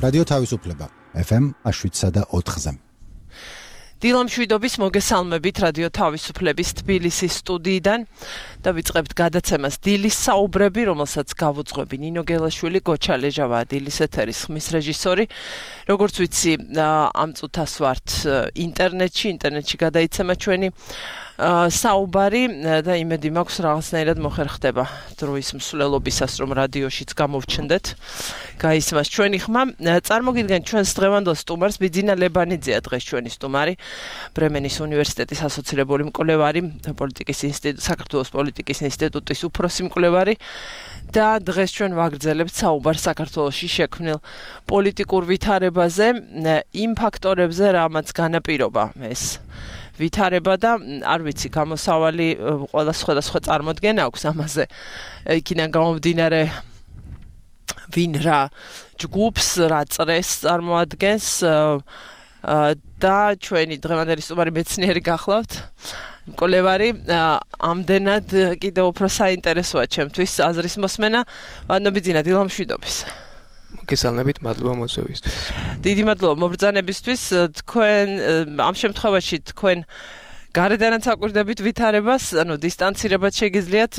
რადიო თავისუფლება FM 7.4-ზე. დილამშვიდობის მოგესალმებით რადიო თავისუფლების თბილისის სტუდიიდან და ვიწყებთ გადაცემას დილის საუბრები, რომელსაც გავუძღვები ნინო გელაშვილი, გოჩა ლეჟავა დილის ეთერის ხმის რეჟისორი. როგორც ვიცი, ამ წუთას ვართ ინტერნეტში გადაიცემა ჩვენი საუბარი და იმედი მაქვს რაღაცნაირად მოხერხდება დროის მსვლელობისას, რომ რადიოშიც გამოვჩნდეთ. გაისმას ჩვენი ხმა. წარმოგიდგენთ ჩვენს დღევანდელ სტუმარს, ბიძინა ლებანიძეა დღეს ჩვენი სტუმარი, ბრემენის უნივერსიტეტის ასოცირებული მკვლევარი, საქართველოს პოლიტიკის ინსტიტუტის უფროსი მკვლევარი და დღეს ჩვენ ვაგრძელებთ საუბარს საქართველოში შექმნილ პოლიტიკურ ვითარებაზე, იმ ფაქტორებზე, რამაც განაპირობა ეს ვითარება და არ ვიცი, გამოსავალი ყველა სხვადასხვა წარმოდგენა აქვს ამაზე. იქიდან გამომდინარე, ვინ რა ჯგუფს, რა წრეს წარმოადგენს და ჩვენი დღევანდელი სტუმარი მეცნიერი გახლავთ, მკვლევარი, ამდენად კიდევ უფრო საინტერესოა ჩემთვის აზრის მოსმენა. ვანო ბიძინა, დილამშვიდობის. მოგესალმებით, მადლობა მოწვევისთვის. დიდი მადლობა მობრძანებისთვის. თქვენ ამ შემთხვევაში თქვენ გარედანაც აკვირდებით ვითარებას, ანუ დისტანცირებად შეგიძლიათ,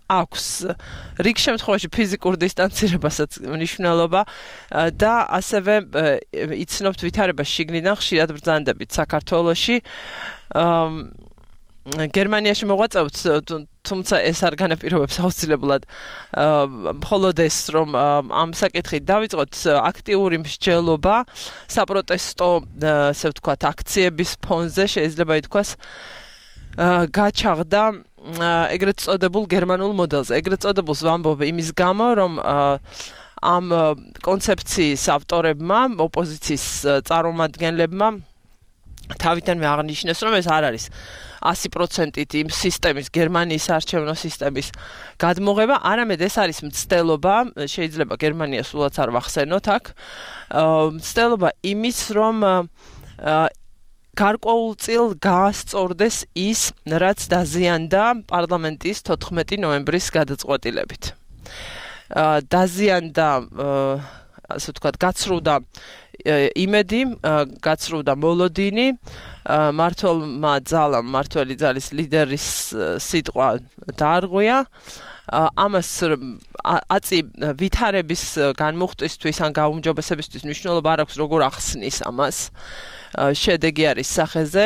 აქვს რიგ შემთხვევაში ფიზიკურ დისტანცირებასაც მნიშვნელობა და ასევე იცნობთ ვითარებას შიგნიდან ხშირად ბრძანდებით საქართველოში. გერმანიაში მოღვაწეობთ, თუმცა ეს არ განაპირობებს აუცილებლად მხოლოდ ეს, რომ ამ საკითხით დავიწყოთ აქტიური მსჯელობა საპროტესტო, ასე ვთქვათ, აქციების ფონზე, შეიძლება ითქვას, გაჩაღდა ეგრეთ წოდებულ გერმანულ მოდელზე. ეგრეთ წოდებულს ვამბობ იმის გამო, რომ ამ კონცეფციის ავტორებმა, ოპოზიციის წარმომადგენლებმა თავიდანვე აღნიშნეს, რომ ეს არ არის 100%-ით იმ სისტემის, გერმანიის არჩევნო სისტემის გადმოღება, არამედ ეს არის მცდელობა, შეიძლება გერმანია სულაც არ ვახსენოთ აქ, მცდელობა იმის, რომ გარკვეულწილ გაასწორდეს ის, რაც დაზიანდა პარლამენტის 14 ნოემბრის გადაწყვეტილებით. დაზიანდა, ასე ვთქვათ, გაცრუდა იმედი, გაცრუდა მოლოდინი, მმართველი ძალის ლიდერის სიტყვა დაარღვია. ამას აწი ვითარების განმუხტვისთვის ან გაუმჯობესებისთვის მნიშვნელობა არ აქვს, როგორ ახსნის ამას. შედეგი არის სახეზე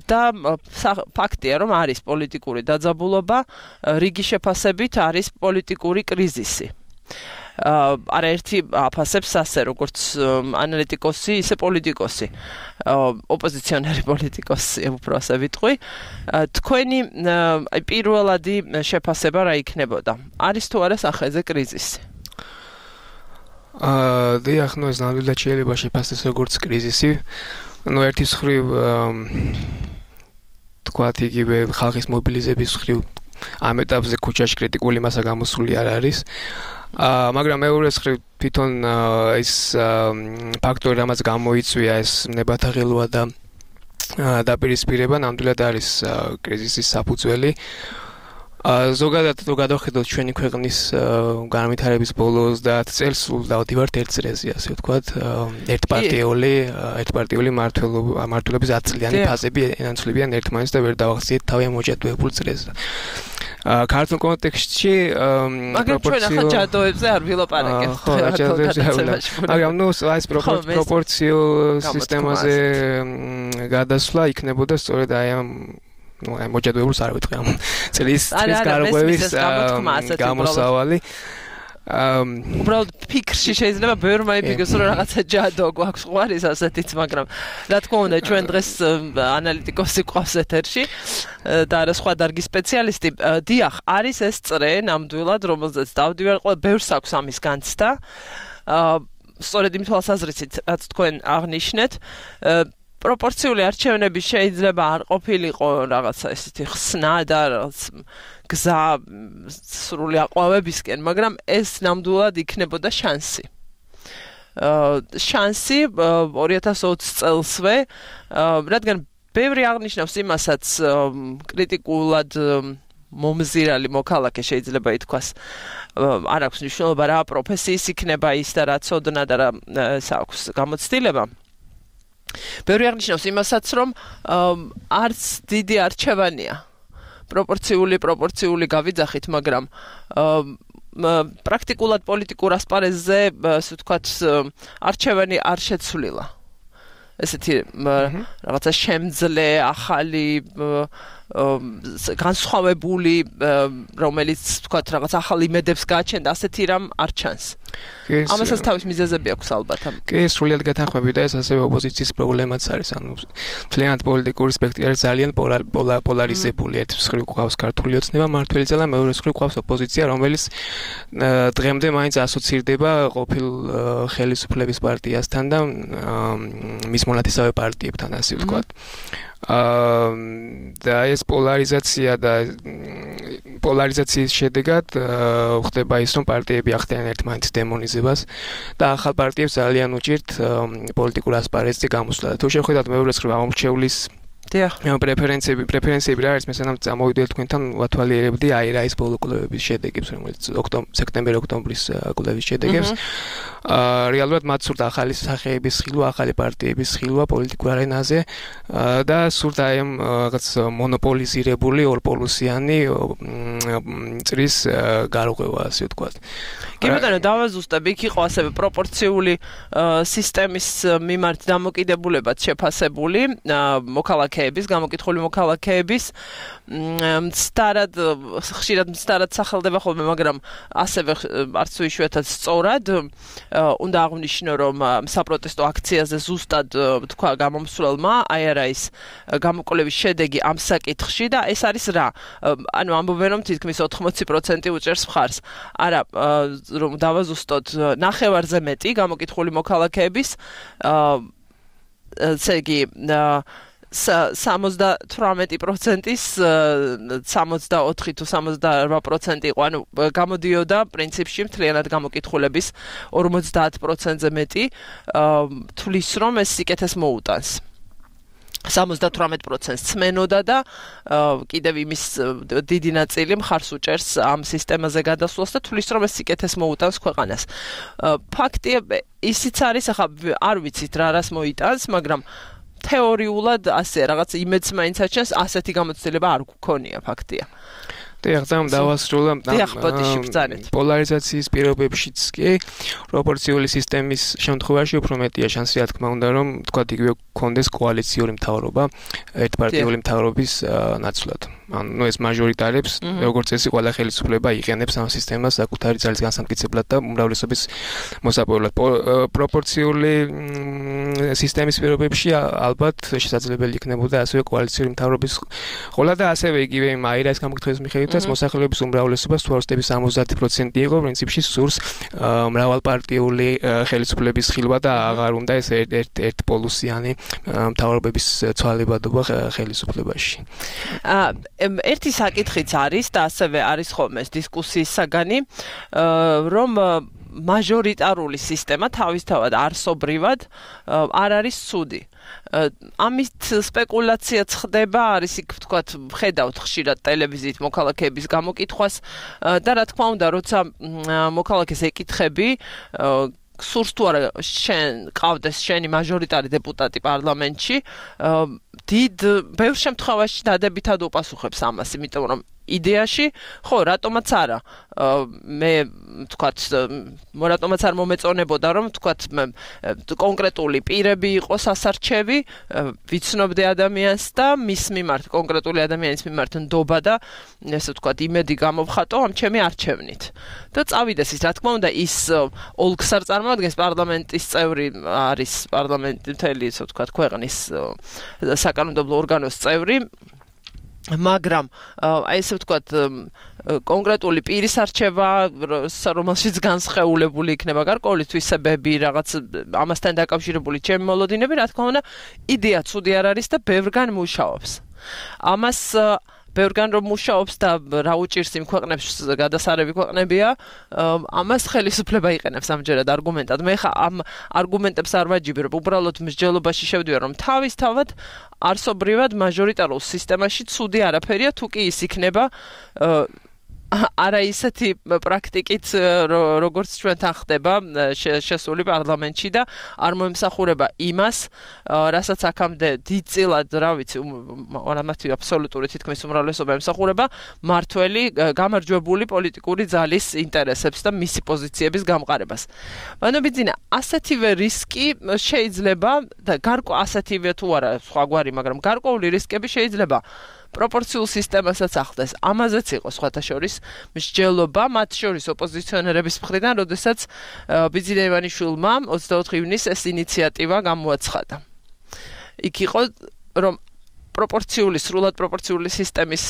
და ფაქტია, რომ არის პოლიტიკური დაძაბულობა, რიგი შეფასებით არის პოლიტიკური კრიზისი. არაერთი აფასებს ასე, როგორც ანალიტიკოსი, ისე პოლიტიკოსი, ოპოზიციონერი პოლიტიკოსი, უფრო ასე ვიტყვი. თქვენი პირველადი შეფასება რა იქნებოდა? არის თუ არა სახეზე კრიზისი? დიახ, ეს ნამდვილად შეიძლება შეფასდეს როგორც კრიზისი. ერთის მხრივ თქვათ, იგივე ხალხის მობილიზების მხრივ ამ ეტაპზე ქუჩაში კრიტიკული მასა გამოსული არ არის. მაგრამ მეორე მხრივ თვითონ ის ფაქტორი, რამაც გამოიწვია ეს ნებათა ღილვა და დაპირისპირება, ნამდვილად არის კრიზისის საფუძველი. ზოგადად თუ გადავხედოთ ჩვენი ქვეყნის განვითარების ბოლოს 30 წელს სულდავდი ვართ ერთ წრეზე, ასე ვთქვათ, ერთპარტიული მმართველობის 10 წლიანი ფაზები ენაცვლებიან ერთმანეთს და ვერ დავახციეთ თავი მოჭედვებულ წრეზე. ქართულ კონტექსტში მაგრამ ჩვენ ახლა ჯადოებზე არ ვილაპარაკებთ. მაგრამ ეს პროპორციულ სისტემაზე გადასვლა იქნებოდა სწორედ აი ამ მოჭედვებულს არ ვიტყვი ამ წლის გარღვევის გამოსავალი. უბრალოდ ფიქრში შეიძლება ბევრმა იფიქროს, რომ რაღაცა ჯადო გვაქვს ყვარის ასეთიც, მაგრამ რა თქმა უნდა, ჩვენ დღეს ანალიტიკოსი გვყავს ეთერში და არა სხვა დარგის სპეციალისტი. დიახ, არის ეს წრე ნამდვილად, რომელზეც დავდივარ, ყველა ბევრს აქვს ამის განცდა. სწორედ იმ თვალსაზრისით, რაც თქვენ აღნიშნეთ, პროპორციული არჩევნები შეიძლება არ ყოფილიყო რაღაცა ესეთი ხსნა და რაღაც გზა სრული აყვავებისკენ, მაგრამ ეს ნამდვილად იქნებოდა შანსი. შანსი 2020 წელსვე, რადგან ბევრი აღნიშნავს იმასაც კრიტიკულად მომზირალი მოქალაქე შეიძლება ითქვას არ აქვს მნიშვნელობა რა პროფესიის იქნება ის და რა ცოდნა და რა აქვს გამოცდილება ბევრი აღნიშნავს იმასაც რომ არც დიდი არჩევანია პროპორციული გავიძახით მაგრამ პრაქტიკულად პოლიტიკურ ასპარეზზე ასე ვთქვათ არჩევანი არ შეცვლილა ესეთი რაღაცა შემძლე ახალი განსხვავებული რომელიც ვთქვათ რაღაც ახალ იმედებს გააჩენდა ასეთი რამ არ ჩანს ამასაც თავის მიზეზები აქვს ალბათ კი სრულიად გეთანხმები და ეს ასევე ოპოზიციის პრობლემაც არის ანუ მთლიანად პოლიტიკური სპექტრი არის ძალიან პოლარიზებული ერთ მხრივ გვყავს ქართული ოცნება მმართველიც და მეორე მხრივ გვყავს ოპოზიცია რომელიც დღემდე მაინც ასოცირდება ყოფილ ხელისუფლების პარტიასთან და მის მონათესავე პარტიებთან ასე ვთქვათ და ეს პოლარიზაციის შედეგად ხდება ის რომ პარტიები ახდენენ ერთმანეთის დემონიზებას და ახალ პარტიებს ძალიან უჭირთ პოლიტიკურ ასპარეზზე გამოსვლა და თუ შევხედავთ მეორე მხრივ ამორჩევლის პრეფერენციები რა არის მესამე წამოვიდეთ თქვენთან ვათვალიერებდი აი რა ის ბოლო კვლევების შედეგებს რომელიც სექტემბერ-ოქტომბრის კვლევის შედეგებს რეალურად მათ სურთ ახალი სახეების ხილვა ახალი პარტიების ხილვა პოლიტიკურ არენაზე და სურთ აი ამ რაღაც მონოპოლიზირებული ორპოლუსიანი წრის გარღვევა ასე ვთქვათ კი ბატონო დავაზუსტებ იქ იყო ასევე პროპორციული სისტემის მიმართ დამოკიდებულებაც შეფასებული მოქალაქეების გამოკითხული მოქალაქეების ხშირად მცდარად სახელდება ხოლმე მაგრამ ასევე არც თუ იშვიათად სწორად უნდა აღვნიშნო რომ საპროტესტო აქციაზე ზუსტად თქვა გამომსვლელმა აი არა ის გამოკვლევის შედეგი ამ საკითხში და ეს არის რა ანუ ამბობენ რომ თითქმის 80% უჭერს მხარს არა რომ დავაზუსტოთ ნახევარზე მეტი გამოკითხული მოქალაქეების ესე იგი 78%-ის 64 თუ 68% იყო, ანუ გამოდიოდა პრინციპში მთლიანად გამოკითხულების 50%-ზე მეტი თვლის რომ ეს სიკეთეს მოუტანს. 78%-ს წმენოდა და კიდევ იმის დიდი ნაწილი მხარს უჭერს ამ სისტემაზე გადასვლას და თვლის რომ ეს სიკეთეს მოუტანს ქვეყანას. ფაქტია ისიც არის, ახლა არ ვიცით რა რას მოიტანს, მაგრამ თეორიულად ასე რაღაც იმედს მაინც აჩენს, ასეთი გამოცდილება არ გქონია ფაქტია. დიახ, დავასრულა პოლარიზაციის პირობებშიც კი პროპორციული სისტემის შემთხვევაში უფრო მეტია შანსი რა თქმა უნდა რომ თქვათ იგივე გქონდეს კოალიციური მთავრობა ერთპარტიული მთავრობის ნაცვლად. ანუ ეს მაჟორიტარებს როგორც წესი ყველა ხელისუფლება იყენებს ამ სისტემას საკუთარი ძალის განსამტკიცებლად და უმრავლესობის მოსაპოვებლად. პროპორციული სისტემის პირობებში ალბათ შესაძლებელი იქნებოდა ასევე კოალიციური მთავრობის ყოლა და ასევე იგივე იმ აირას გამოკითხვის მიხედვით მოსახლეობის უმრავლესობას თუ არ ვსწრები 70% იყო პრინციპში სურს მრავალპარტიული ხელისუფლების ხილვა და აღარ უნდა ეს ერთპოლუსიანი მთავრობების ცვალებადობა ხელისუფლებაში. ერთი საკითხიც არის და ასევე არის ხოლმე ეს დისკუსიის საგანი რომ მაჟორიტარული სისტემა თავისთავად არსობრივად არ არის ცუდი. ამით სპეკულაციაც ხდება, არის იქ ვთქვათ, ხედავთ ხშირად ტელევიზიით მოქალაქეების გამოკითხვას და რა თქმა უნდა, როცა მოქალაქეს ეკითხები სურს თუ არა შენ ყავდეს შენი მაჟორიტარი დეპუტატი პარლამენტში, ბევრ შემთხვევაში დადებითად უპასუხებს ამას, იმიტომ რომ იდეაში, ხო, რატომაც არა. მე ვთქვათ, რატომაც არ მომეწონებოდა, რომ ვთქვათ, კონკრეტული პირები იყოს ასარჩევი, ვიცნობდე ადამიანს და მის მიმართ, კონკრეტული ადამიანის მიმართ ნდობა და ესე ვთქვათ, იმედი გამოვხატო ამ ჩემი არჩევნით. და წავიდეს ის, რა თქმა უნდა, ის ოლქს არ წარმოადგენს პარლამენტის წევრი, არის პარლამენტი მთელი, ესე ვთქვათ, ქვეყნის საკანონმდებლო ორგანოს წევრი. მაგრამ აი ესე ვთქვათ კონკრეტული პირის არჩევა რომელშიც განსხეულებული იქნება გარკვეული თვისებები რაღაც ამასთან დაკავშირებული ჩემი მოლოდინები რა თქმა უნდა იდეა ცუდი არ არის და ბევრგან მუშაობს ამას ბევრგან რომ მუშაობს და რა უჭირს იმ ქვეყნებს გადასარევი ქვეყნებია, ამას ხელისუფლება იყენებს ამჯერად არგუმენტად. მე ხა ამ არგუმენტებს არ ვაჯიბებ, უბრალოდ მსჯელობაში შევდივარ, რომ თავისთავად არსობრივად მაჟორიტარულ სისტემაში ცუდი არაფერია, თუ კი ის იქნება არა ისეთი პრაქტიკით როგორც ჩვენთან ხდება შესული პარლამენტში და არ მოემსახურება იმას, რასაც აქამდე დიდწილად, რა ვიცი, არამათი აბსოლუტური თითქმის უმრავლესობა ემსახურება მართველი გამარჯვებული პოლიტიკური ძალის ინტერესებს და მისი პოზიციების გამყარებას. ბანობიძინა, ასეთივე რისკი შეიძლება და ასეთივე თუ არა სხვაგვარი, მაგრამ გარკვეული რისკები შეიძლება პროპორციულ სისტემასაც ახდენს. ამაზეც იყო სხვათა შორის მსჯელობა მათ შორის ოპოზიციონერების მხრიდან, როდესაც ბიძინა ივანიშვილმა 24 ივნისს ეს ინიციატივა გამოაცხადა. იქ იყო, რომ სრულად პროპორციული სისტემის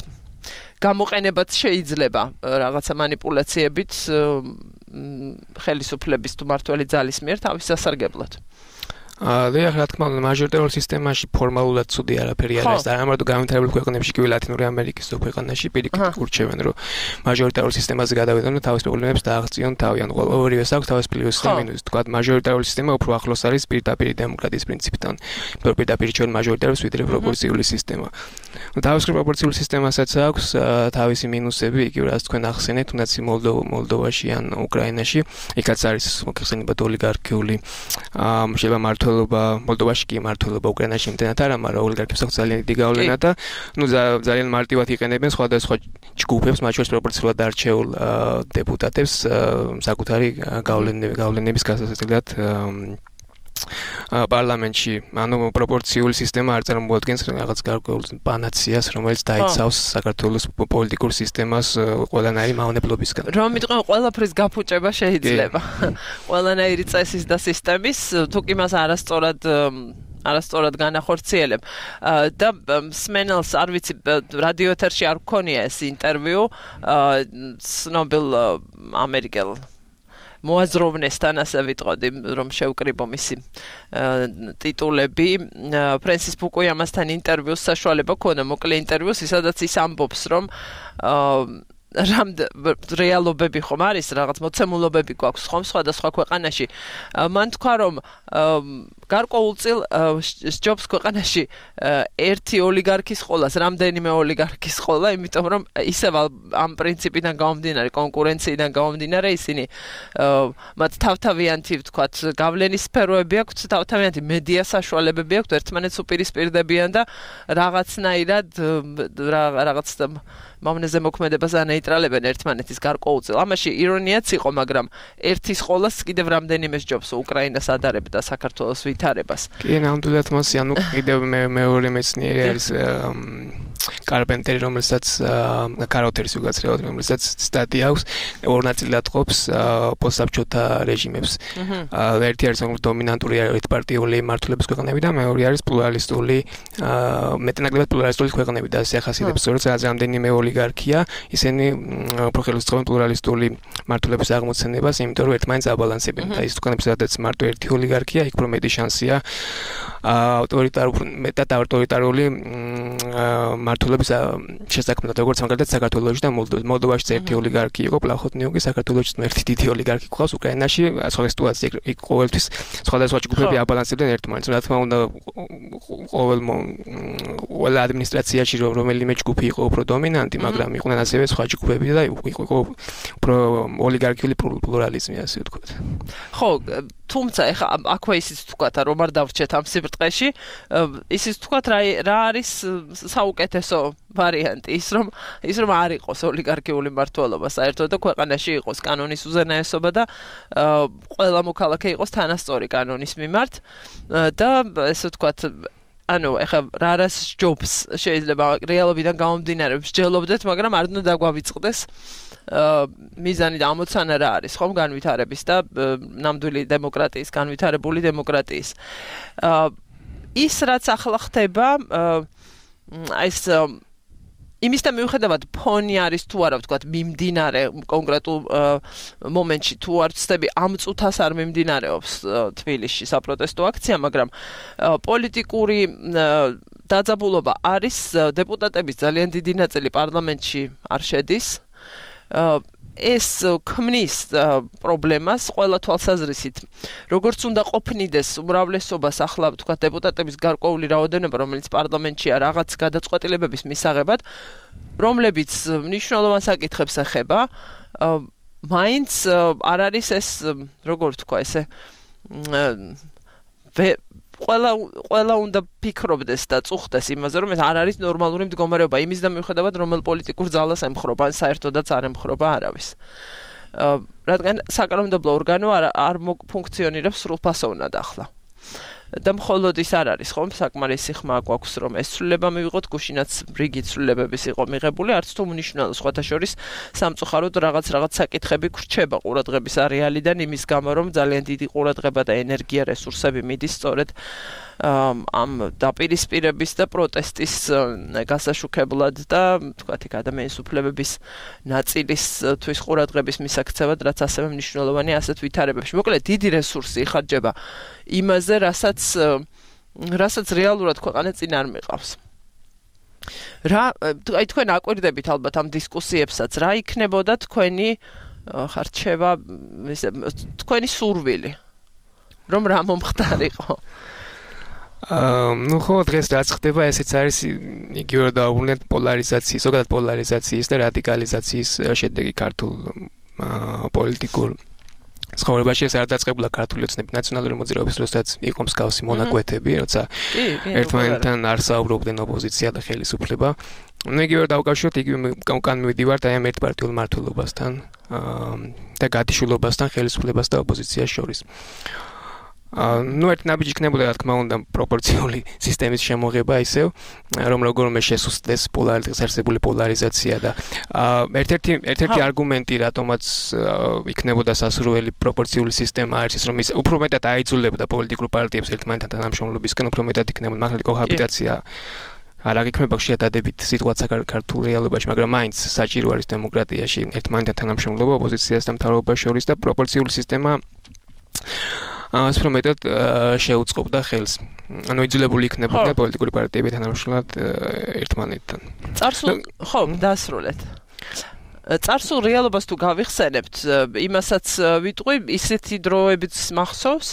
გამოყენებაც შეიძლება რაღაცა манипуляციებით ხელისუფლების თუ მართველი ძალის მიერ თავის სასარგებლოდ. რა თქმა უნდა, მაჟორიტარულ სისტემაში ფორმალურად ცუდი არაფერი არ არის და ამიტომ განვითარებულ ქვეყნებში, კი ლათინური ამერიკის ქვეყანაში პირიქით ურჩევენ, რომ მაჟორიტარულ სისტემაზე გადავიდონ და თავის პრობლემებს დააღწიონ თავიანთ. ორივეს აქვს თავის პლუსი და მინუსი. თქვა მაჟორიტარული სისტემა უფრო ახლოს არის პირდაპირ დემოკრატიის პრინციპთან. პირდაპირ ჩვენ მაჟორიტარებს ვიდრე პროპორციული სისტემა. თავის პროპორციული სისტემასაც აქვს თავისი მინუსები, იგივე რაც თქვენ ახსენეთ, თუნდაც მოლდოვაში ან უკრაინაში, იქაც არის მოხსენებად ოლიგარქიული შეიძლება მოლდოვაში კი მართლობა უკრაინაში იმდენად არა, მაგრამ ოლიგარქებს აქვს ძალიან დიდი გავლენა და ძალიან მარტივად იყენებენ სხვადასხვა ჯგუფებს, მათ შორის პროპორციულად არჩეულ დეპუტატებს საკუთარი გავლენების გასაცილებლად პარლამენტში. ანუ პროპორციული სისტემა არ წარმოადგენს რაღაც გარკვეულ პანაციას, რომელიც დაიცავს საქართველოს პოლიტიკურ სისტემას ყველანაირი მავნებლობისგან. რომ მიტყვენ ყველაფრის გაფუჭება შეიძლება. ყველანაირი წესის და სისტემის, თუ კი მას არასწორად განახორციელებ. და სმენელს არ ვიცი, რადიო ეთერში არ გქონია ეს ინტერვიუ ცნობილ ამერიკელ მოაზროვნესთან, ასე ვიტყოდი, რომ შევკრიბო მისი ტიტულები. ფრენსის ფუკუიამასთან ინტერვიუს საშუალება ქონდა, მოკლე ინტერვიუს, სადაც ის ამბობს, რომ რეალობები ხომ არის, რაღაც მოცემულობები გვაქვს ხომ სხვადასხვა ქვეყანაში. მან თქვა, რომ გარკვეულწილ სჯობს ქვეყანაში ერთი ოლიგარქის ყოლას, რამდენიმე ოლიგარქის ყოლა, იმიტომ რომ ისევ ამ პრინციპიდან გამომდინარე, კონკურენციიდან გამომდინარე, ისინი მათ თავთავიანთი, ვთქვათ, გავლენის სფეროები აქვთ, თავთავიანთი მედია საშუალებები აქვთ, ერთმანეთს უპირისპირდებიან და რაღაცნაირად რაღაც მავნეზე მოქმედებას ანეიტრალებენ ერთმანეთის გარკვეულწილ. ამაში ირონიაც იყო, მაგრამ ერთის ყოლას კიდევ რამდენიმე სჯობს უკრაინას ადარებდა საქართველოს ვითარებას. კი, ნამდვილად მას, ანუ კიდევ მეორე მეცნიერი არის კარპენტერი, რომელსაც კაროთერის უგაცრიელად, რომელსაც სტატია აქვს, ორ ნაწილად ყოფს პოსტსაბჭოთა რეჟიმებს. ერთი არის დომინანტური ერთპარტიული მართლობის ქვეყნები და მეორე არის პლურალისტული, მეტნაკლებად პლურალისტული ქვეყნები და ასე ახასიათებს, როცა რამდენიმე ოლიგარქია, ისინი უფრო ხელისწყობენ პლურალისტული მართლობის აღმოცენებას, იმიტომ რომ ერთმანეთს აბალანსებენ და ის ქვეყნები, სადაც მარტო ერთი ოლიგარქია, იქ უფრო მეტი შანსია მეტად ავტორიტარული მართლობის შესაქმნელად, როგორც მაგალითად საქართველოში და მოლდოვაში ერთი ოლიგარქი იყო, პლახოტნიუკი, საქართველოში ერთი დიდი ოლიგარქი ყავს, უკრაინაში სხვა სიტუაცია იქ ყოველთვის სხვადასხვა ჯგუფები აბალანსებდნენ ერთმანეთს. რა თქმა უნდა, ყველა ადმინისტრაციაში რომელიმე ჯგუფი იყო უფრო დომინანტი, მაგრამ იყვნენ ასევე სხვა ჯგუფები და იყო უფრო ოლიგარქიული პლურალიზმი, ასე ვთქვათ. ხო, თუმცა ეხა აქვე ისიც ვთქვათ, რომ არ დავრჩეთ ამ სიბრტყეში, ისიც ვთქვათ, რა არის საუკეთესო ვარიანტი, ის რომ არ იყოს ოლიგარქიული მმართველობა საერთოდ და ქვეყანაში იყოს კანონის უზენაესობა და ყველა მოქალაქე იყოს თანასწორი კანონის მიმართ და ესე ვთქვათ, ანუ ეხა რას ჯობს შეიძლება რეალობიდან გამომდინარე მსჯელობდეთ, მაგრამ არ უნდა დაგვავიწყდეს მიზანი და ამოცანა რა არის, ხომ განვითარების და ნამდვილი დემოკრატიის, განვითარებული დემოკრატიის. ის რაც ახლა ხდება, ეს იმისთან მიუხედავად ფონი არის თუ არა, ვთქვათ, მიმდინარე კონკრეტულ მომენტში თუ არ ვცდები ამ წუთას არ მიმდინარეობს თბილისში საპროტესტო აქცია, მაგრამ პოლიტიკური დაძაბულობა არის დეპუტატების ძალიან დიდი ნაწილი პარლამენტში არ შედის. ეს ქმნის პრობლემას ყველა თვალსაზრისით. როგორც უნდა ყოფნიდეს უმრავლესობას ახლა თქვა დეპუტატების გარკვეული რაოდენობა, რომელიც პარლამენტშია რაღაც გადაწყვეტილებების მისაღებად, რომლებიც მნიშვნელოვან საკითხებს ეხება, მაინც არ არის ეს როგორ თქვა ესე ყველა უნდა ფიქრობდეს და წუხდეს იმაზე, რომ ეს არ არის ნორმალური მდგომარეობა, იმის და მიუხედავად, რომელ პოლიტიკურ ძალას ემხრობა, ან საერთოდაც არ ემხრობა არავის. რადგან საკანონმდებლო ორგანო არ ფუნქციონირებს სრულფასოვნად ახლა. და მხოლოდ ის არ არის, ხომ, საკმარისი ხმა გვაქვს, რომ ეს ცვლილება მივიღოთ, გუშინაც რიგი ცვლილებების იყო მიღებული, არც თუ მნიშვნელოვანი სხვათა შორის სამწუხაროდ რაღაც საკითხები გრჩება ყურადღების არეალიდან იმის გამო, რომ ძალიან დიდი ყურადღება და ენერგია რესურსები მიდის სწორედ ამ დაპირისპირების და პროტესტის გასაშუქებლად და თქვათ იქ ადამიანის უფლებების ნაწილის თვის ყურადღების მისაქცევად, რაც ასევე მნიშვნელოვანია ასეთ ვითარებებში. მოკლედ დიდი რესურსი იხარჯება იმაზე, რასაც რეალურად ქვეყანა წინ არ მიყავს. აი თქვენ აკვირდებით ალბათ ამ დისკუსიებსაც, რა იქნებოდა თქვენი ხარჩევა, თქვენი სურვილი, რომ რა მომხდარიყო? ნუ ხო დღეს რაც ხდება, ესეც არის იგივე დაუბრუნდეთ პოლარიზაციის, ზოგადად პოლარიზაციის და რადიკალიზაციის შედეგი ქართულ პოლიტიკურ ცხოვრებაში. ეს არ დაწყებულა ქართული ოცნების ნაციონალური მოძრაობის დროსაც იყო მსგავსი მონაკვეთები, როცა ერთმანეთთან არ საუბრობდნენ ოპოზიცია და ხელისუფლება. ნუ იგივე დავკავშიროთ, იგივე უკან მივიდივართ აი ამ ერთპარტიულ მმართველობასთან და გათიშულობასთან ხელისუფლებას და ოპოზიციას შორის. ნუ ერთ ნაბიჯი იქნებოდა, რა თქმა უნდა, პროპორციული სისტემის შემოღება ისევ, რომ როგორმე შესუსტდეს დღეს არსებული პოლარიზაცია და ერთ-ერთი არგუმენტი, რატომაც იქნებოდა სასურველი პროპორციული სისტემა არის ის, რომ ის უფრო მეტად აიძულებდა პოლიტიკურ პარტიებს ერთმანეთთან თანამშრომლობისკენ, უფრო მეტად იქნებოდა მაგალითად კოჰაბიტაცია არ აღიქმება ხშირად ადებით სიტუაცია ქართულ რეალობაში, მაგრამ მაინც საჭირო არის დემოკრატიაში ერთმანეთთან თანამშრომლობა ოპოზიციას და მთავრობას შორის და პროპორციული სისტემა სპრომეტად შეუწყობდა ხელს. ანუ იძულებული იქნებოდა პოლიტიკური პარტიები თანამშრომლად ერთმანეთთან. ხო, დასრულეთ. წარსულ რეალობას თუ გავიხსენებთ, იმასაც ვიტყვი, ისეთი დროებიც მახსოვს,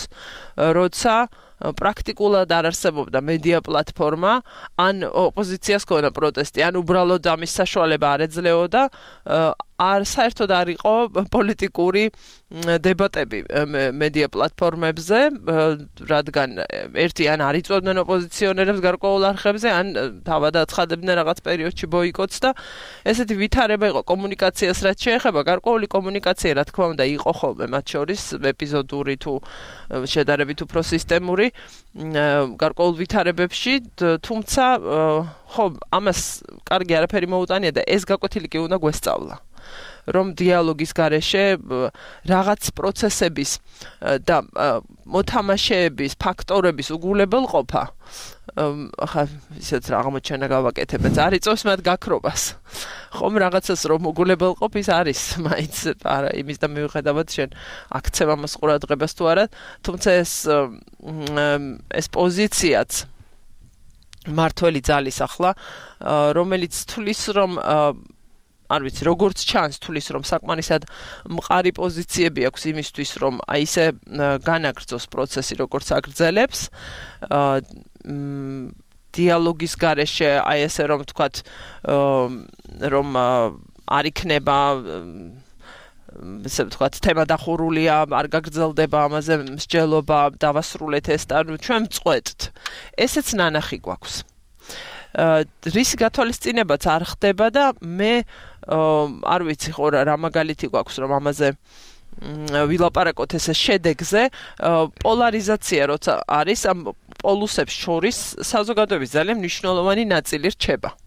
როცა პრაქტიკულად არ არსებობდა მედია პლატფორმა, ან ოპოზიციას ქონა პროტესტი, ან უბრალოდ ამის საშუალება არ ეძლეოდა, საერთოდ არ იყო პოლიტიკური დებატები მედია პლატფორმებზე, რადგან ერთი ან არ იწვევდნენ ოპოზიციონერებს გარკვეულ არხებზე, ან თავად აცხადებდნენ რაღაც პერიოდში ბოიკოტს და ესეთი ვითარება იყო კომუნიკაციას რაც შეეხება, გარკვეული კომუნიკაცია რა თქმა უნდა იყო ხოლმე მათ შორის ეპიზოდური თუ შედარებით უფრო სისტემური გარკვეულ ვითარებებში, თუმცა ხო ამას კარგი არაფერი მოუტანია და ეს გაკვეთილი კი უნდა გვესწავლა. რომ დიალოგის გარეშე რაღაც პროცესების და მოთამაშეების ფაქტორების უგულებელყოფა ახლა ისეთ აღმოჩენა გავაკეთებთ, არ იწევს მათ გაქრობას. ხომ რაღაცას რომ უგულებელყოფ ის არის, მაინც არა იმის და მიუხედავად შენ აქცევ ამას ყურადღებას თუ არა, თუმცა ეს პოზიციაც მართველი ძალის ახლა, რომელიც თulis რომ არ ვიცი, როგორც ჩანს თulis რომ საკმარისად მყარი პოზიციები აქვს იმისთვის, რომ აი ისე განაგრძოს პროცესი, როგორც აგრძელებს, დიალოგის გარეშე, აი ესე რომ ვთქვათ, რომ არ იქნება ესე ვთქვათ, თემა დახურულია, არ გაგრძელდება ამაზე მსჯელობა, დავასრულეთ ეს და ჩვენ წყვეტთ. ესეც ნანახი გვაქვს. რისი გათვალისწინებაც არ ხდება და მე არ ვიცი ხო რა მაგალითი გვაქვს რომ ამაზე ვილაპარაკოთ ესე შედეგზე პოლარიზაცია როცა არის ამ პოლუსებს შორის საზოგადოების ძალიან მნიშვნელოვანი ნაწილი რჩება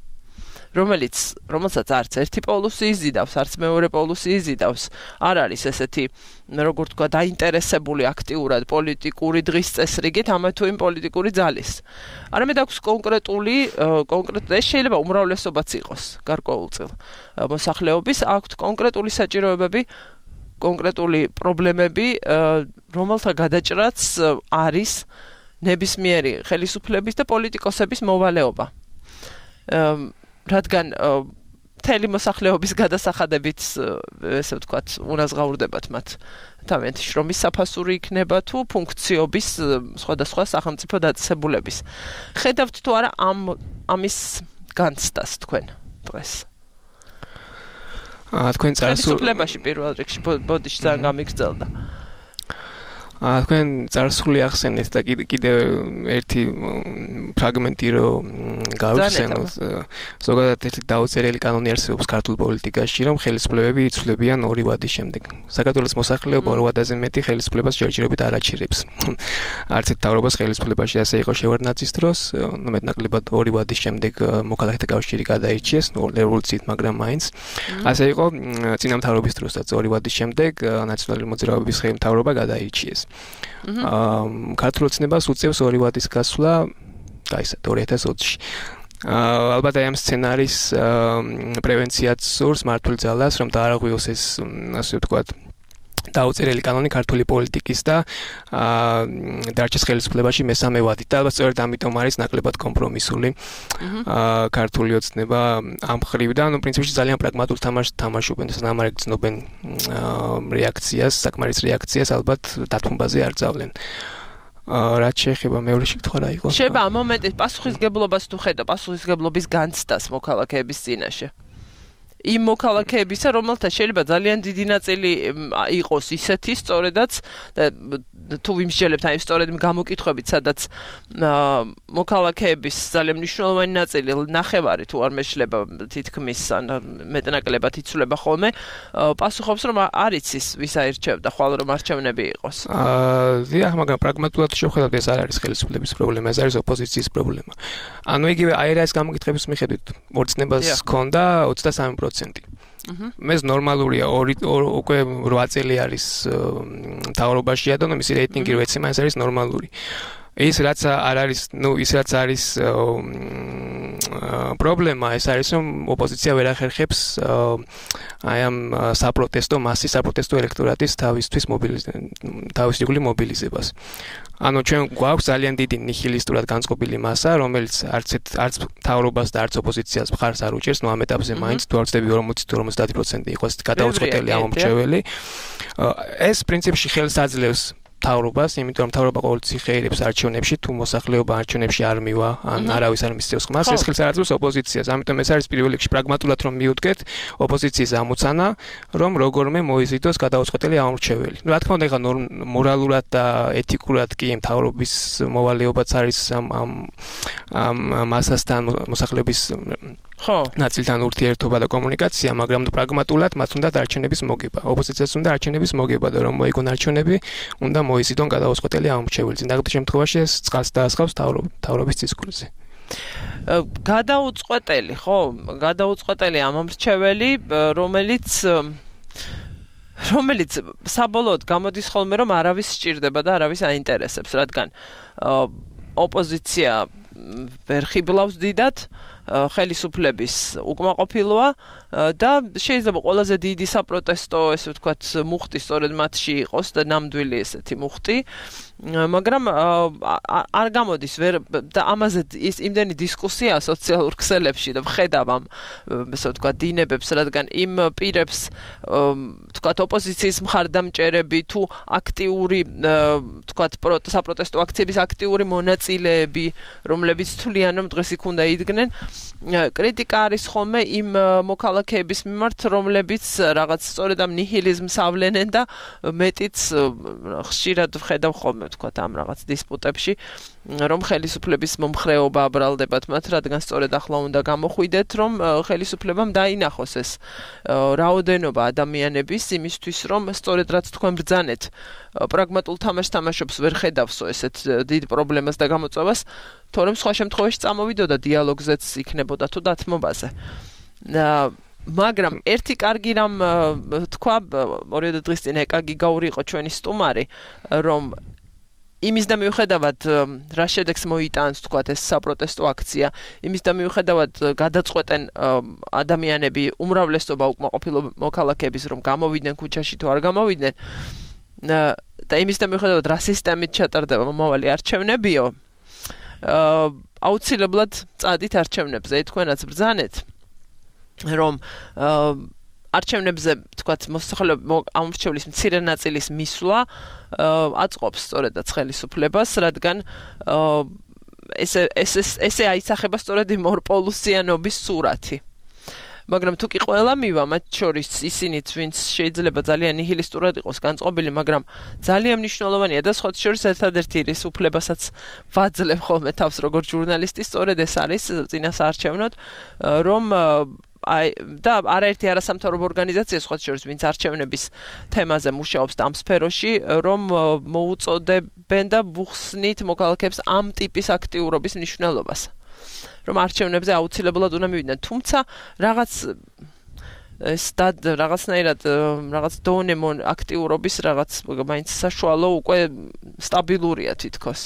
რომელსაც არც ერთი პოლუსი იზიდავს, არც მეორე პოლუსი იზიდავს. არ არის ესეთი, როგორ თქვა, დაინტერესებული აქტიურად პოლიტიკური დღის წესრიგით ამა თუ იმ პოლიტიკური ძალის. არამედ აქვს კონკრეტული ეს შეიძლება უმრავლესობაც იყოს გარკვეულწილ მოსახლეობის, აქვს კონკრეტული საჭიროებები, კონკრეტული პრობლემები, რომელთა გადაჭრაც არის ნებისმიერი ხელისუფლების და პოლიტიკოსების მოვალეობა. რადგან მთელი მოსახლეობის გადასახადებით, ესე ვთქვათ, უნაზღაურდებათ მათ თავიანთი შრომის საფასური იქნება თუ ფუნქციობის სხვადასხვა სახელმწიფო დაწესებულების. ხედავთ თუ არა ამის განცდას თქვენ დღეს? თქვენ ხელისუფლებაში პირველ რიგში ბოდიში ძალიან გამიგრძელდა. თქვენ წარსული ახსენეთ და კიდევ ერთი ფრაგმენტი რომ გავიხსენოთ. ზოგადად ერთი დაუწერელი კანონი არსებობს ქართულ პოლიტიკაში, რომ ხელისუფლებები იცვლებიან 2 ვადის შემდეგ. საქართველოს მოსახლეობა 2 ვადაზე მეტი ხელისუფლებას ჯერჯერობით არ აჩერებს. არც ერთ თავრობას ხელისუფლებაში ასე იყო შევარდნაძის დროს, მეტნაკლებად 2 ვადის შემდეგ მოქალაქეთა კავშირი გადაირჩიეს რევოლუციით, მაგრამ მაინც ასე იყო წინა მთავრობის დროსაც 2 ვადის შემდეგ ნაციონალური მოძრაობის ხელმთავრობა გადაირჩიეს. ქართულ ოცნებას უწევს 2 ვადის გასვლა, გაიცეთ 2020-ში. ალბათ ამ სცენარის პრევენციაც სურს მართული ძალას, რომ დაარღვიოს ეს ასე ვთქვათ დაუწერელი კანონი ქართული პოლიტიკის და დარჩეს ხელისუფლებაში მესამე ვადით. და ალბათ სწორედ ამიტომ არის ნაკლებად კომპრომისული ქართული ოცნება ამ ხრივიდან, პრინციპში ძალიან პრაგმატულ თამაშს თამაშობენ, სანამ არ ეგრძნობენ რეაქციას, საკმარის რეაქციას ალბათ დათმობაზე არ ძავლენ. რაც შეეხება მეორე შეკითხვა რა იყო? შეიძლება ამ მომენტით პასუხისგებლობას თუ ხედავ, პასუხისგებლობის განცდას მოქალაქეების წინაშე. იმ მოქალაქეებისა, რომელთა შეიძლება ძალიან დიდი ნაწილი იყოს ისეთი, სწორედაც თუ ვიმსჯელებთ აი სწორედ გამოკითხვებით, სადაც მოქალაქეების ძალიან მნიშვნელოვანი ნაწილი, ნახევარი თუ არ მეშლება თითქმის მეტნაკლებად იცვლება ხოლმე, პასუხობს რომ არ იცის ვის აირჩევდა, ხვალ რომ არჩევნები იყოს. დიახ, მაგრამ პრაგმატულად შევხედავთ, ეს არ არის ხელისუფლების პრობლემა, ეს არის ოპოზიციის პრობლემა. ანუ იგივე აირაის გამოკითხების მიხედვით ორცნებას ჰქონდა 23%. მეს ნორმალურია უკვე 8 წელი არის მთავრობაშია და მისი რეიტინგი რო ეცემა ეს არის ნორმალური. ის რაც არ არის, ის რაც არის პრობლემა, ეს არის რომ ოპოზიცია ვერ ახერხებს აი ამ საპროტესტო მასის, საპროტესტო ელექტორატის თავისუფლ მობილიზებას. ანუ ჩვენ გვაქვს ძალიან დიდი ნიჰილისტურად განწყობილი მასა, რომელიც არც მთავრობას და არც ოპოზიციას მხარს არ უჭერს, ამ ეტაპზე მაინც თუ არ ვწდები 40-50% იყოს გადაუწყვეტელი ამორჩეველი. ეს პრინციპში ხელს აძლევს მთავრობას, იმიტომ რომ მთავრობა ყოველთვის ხეირებს არჩევნებში, თუ მოსახლეობა არჩევნებში არ მივა, ან არავის არ მისცემს ხმას, ეს ხელს არ აძლევს ოპოზიციას. ამიტომ ეს არის პირველ რიგში პრაგმატულად რომ მიუდგეთ ოპოზიციის ამოცანა, რომ როგორმე მოიზიდოს გადაუწყვეტელი ამორჩეველი. რა თქმა უნდა, ეხლა მორალურად და ეთიკურად კი მთავრობის მოვალეობაც არის ამ მასასთან მოსახლეობის ნაწილთან ურთიერთობა და კომუნიკაცია, მაგრამ პრაგმატულად მათ უნდა არჩევნების მოგება. ოპოზიციას უნდა არჩევნების მოგება და რომ მოიგონ არჩევნები, უნდა მოიზიდონ გადაუწყვეტელი ამორჩეველი. ზოგადად შემთხვევაში ეს წყალს დაასხავს მთავრობის დისკურსზე. გადაუწყვეტელი, ხო? გადაუწყვეტელი ამორჩეველი, რომელიც საბოლოოდ გამოდის ხოლმე რომ არავის სჭირდება და არავის აინტერესებს, რადგან ოპოზიცია ვერ ხიბლავს დიდად ხელისუფლების უკმაყოფილოა და შეიძლება ყველაზე დიდი საპროტესტო, ესე ვთქვათ, მუხტი სწორედ მათში იყოს და ნამდვილი ესეთი მუხტი, მაგრამ არ გამოდის ვერ და ამაზე ის იმდენი დისკუსია სოციალურ ქსელებში და ვხედავ ამ ესე ვთქვათ დინებებს, რადგან იმ პირებს ვთქვათ ოპოზიციის მხარდამჭერები თუ აქტიური ვთქვათ საპროტესტო აქციების აქტიური მონაწილეები, რომლებიც თვლიან რომ დღეს იქ უნდა იდგნენ, კრიტიკა არის ხოლმე იმ მოქალაქეების მიმართ, რომლებიც რაღაც სწორედ ამ ნიჰილიზმს ავლენენ და მეტიც ხშირად ვხედავ ხოლმე ვთქვათ ამ რაღაც დისპუტებში, რომ ხელისუფლების მომხრეობა აბრალდებათ მათ, რადგან სწორედ ახლა უნდა გამოხვიდეთ, რომ ხელისუფლებამ დაინახოს ეს რაოდენობა ადამიანების იმისთვის, რომ სწორედ რაც თქვენ ბრძანეთ, პრაგმატულ თამაშს თამაშობს ვერ ხედავსო ესეთ დიდ პრობლემას და გამოწვევას, თორემ სხვა შემთხვევაში წამოვიდოდა დიალოგზეც იქნებოდა თუ დათმობაზე. მაგრამ ერთი კარგი რამ თქვა 2 დღის წინ ეკაგი გაური იყო ჩვენი სტუმარი, რომ იმის და მიუხედავად რა შედეგს მოიტანს თქვათ ეს საპროტესტო აქცია, იმის და მიუხედავად გადაწყვეტენ ადამიანები უმრავლესობა უკმაყოფილო მოქალაქეების რომ გამოვიდნენ ქუჩაში თუ არ გამოვიდნენ, და იმის და მიუხედავად რა სისტემით ჩატარდება მომავალი არჩევნებიო, აუცილებლად წადით არჩევნებზე, თქვენაც ბრძანეთ, რომ არჩევნებზე, თქვათ, ამორჩევლის მცირე ნაწილის მისვლა აწყობს სწორედაც ხელისუფლებას, რადგან ესე აისახება სწორედ იმ ორპოლუსიანობის სურათი. მაგრამ თუ კი ყველა მივა, მათ შორის ისინიც, ვინც შეიძლება ძალიან ნიჰილისტურად იყოს განწყობილი, მაგრამ ძალიან მნიშვნელოვანია და სხვა შორის ერთადერთი რის უფლებასაც ვაძლევ ხოლმე თავს როგორც ჟურნალისტი, სწორედ ეს არის წინასაარჩევნოდ, რომ და არაერთი არასამთავრობო ორგანიზაცია სხვა შორის ვინც არჩევნების თემაზე მუშაობს და ამ სფეროში, რომ მოუწოდებენ და ვუხსნით მოქალაქეებს ამ ტიპის აქტიურობის მნიშვნელობას. რომ არჩევნებზე აუცილებლად უნდა მივიდნენ, თუმცა რაღაცნაირად რაღაც დონე აქტიურობის რაღაც მაინც საშუალო უკვე სტაბილურია თითქოს.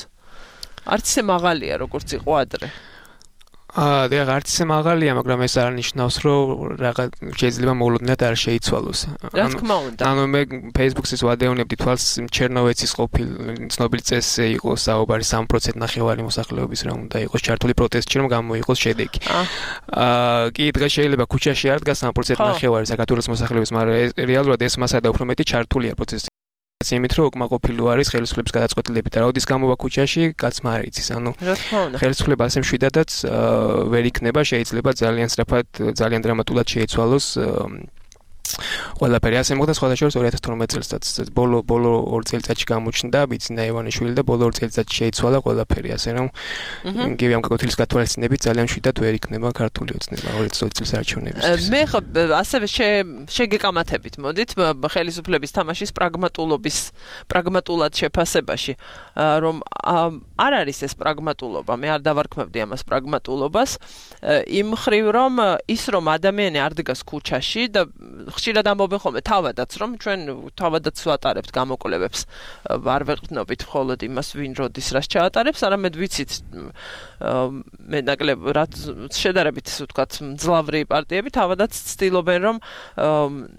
არც ისე მაღალია როგორც იყო ადრე. და არც ისე მაღალია, მაგრამ ეს არ ნიშნავს, რომ რაღაც შეიძლება მოულოდნელად არ შეიცვალოს. რა თქმა უნდა. ანუ მე Facebook-ს ვადევნებდი თვალს ჩემნოვეცის ყოფილ ცნობილ წესზე იყო საუბარი 3% ნახევარი მოსახლეობის რა უნდა იყოს ჩართული პროტესტში, რომ გამოიყოს შედეგი. კი დღეს შეიძლება ქუჩაში არ დგას 3% ნახევარი საქართველოს მოსახლეობის, მაგრამ რეალურად ეს მასადა უფრო მეტი ჩართულია პროტესტში. იმით რომ უკმაყოფილო არის ხელისუფლების გადაწყვეტილებით და როდის გამოვა ქუჩაში, კაცმა არ იცის. ანუ ხელისუფლება ასე მშვიდადაც ვერ იქნება, შეიძლება ძალიან სწრაფად, ძალიან დრამატულად შეიცვალოს ყველაფერი. ასე მოხდა სხვადასხვა 2012 წელსაც ბოლო 2 წელიწადში გამოჩნდა ბიძინა ივანიშვილი და ბოლო 2 წელიწადში შეიცვალა ყველაფერი, ასე რომ გივი ამ გაკვეთილის გათვალისწინებით ძალიან მშვიდად ვერ იქნება ქართული ოცნება 2020 წლის არჩევნებისთვის. მე ხო ასევე შეგეკამათებით მოდით ხელისუფლების თამაშის პრაგმატულად შეფასებაში, რომ არ არის ეს პრაგმატულობა, მე არ დავარქმევდი ამას პრაგმატულობას, იმ მხრივ რომ ის რომ ადამიანი არ დგას ქუჩაში და ხშირად ამბობენ ხოლმე თავადაც, რომ ჩვენ თავადაც ვატარებთ გამოკვლევებს, არ ვეყრდნობით მხოლოდ იმას, ვინ როდის რას ჩაატარებს, არამედ ვიცით მე ნაკლებ რაც შედარებით, ისე ვთქვათ, მძლავრი პარტიები თავადაც ცდილობენ, რომ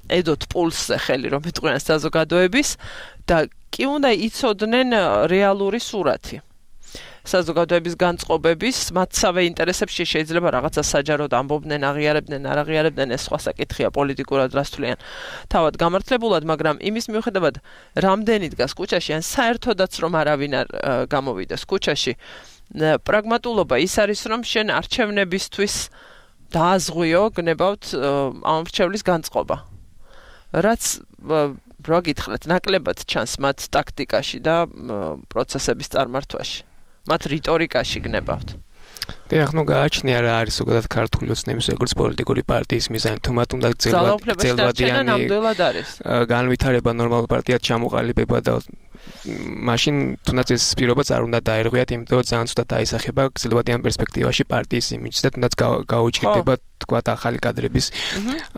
ედოთ პულსზე ხელი, რომ ეტყვიან საზოგადოების და კი უნდა იცოდნენ რეალური სურათი. საზოგადოების განწყობების, მათსავე ინტერესებში შეიძლება რაღაცა საჯაროდ ამბობდნენ, აღიარებდნენ, არ აღიარებდნენ, ეს სხვა საკითხია პოლიტიკურად რას თვლიან თავად გამართლებულად, მაგრამ იმის მიუხედავად, რამდენი დგას ქუჩაში, ან საერთოდაც რომ არავინ არ გამოვიდეს ქუჩაში, პრაგმატულობა ის არის, რომ შენ არჩევნებისთვის დააზღვიო, გნებავთ ამორჩევლის განწყობა. რაც რა გითხრათ, ნაკლებად ჩანს მათ ტაქტიკაში და პროცესების წარმართვაში. მათ რიტორიკაში გნებავთ. დიახ, ნუ გააჩნია რა არის ზოგადად ქართული ოცნების როგორც პოლიტიკური პარტიის მიზანი, თუ მათ უნდა ძალადიანი განვითარება ნორმალურ პარტიად ჩამოყალიბება და მაშინ თუნდაც ეს პირობაც არ უნდა დაერღვიათ, იმიტომ რომ ძალიან ცუდად დაისახება გრძელვადიან პერსპექტივაში პარტიის იმიჯს და თუნდაც გაუჭირდება თქვათ ახალი კადრების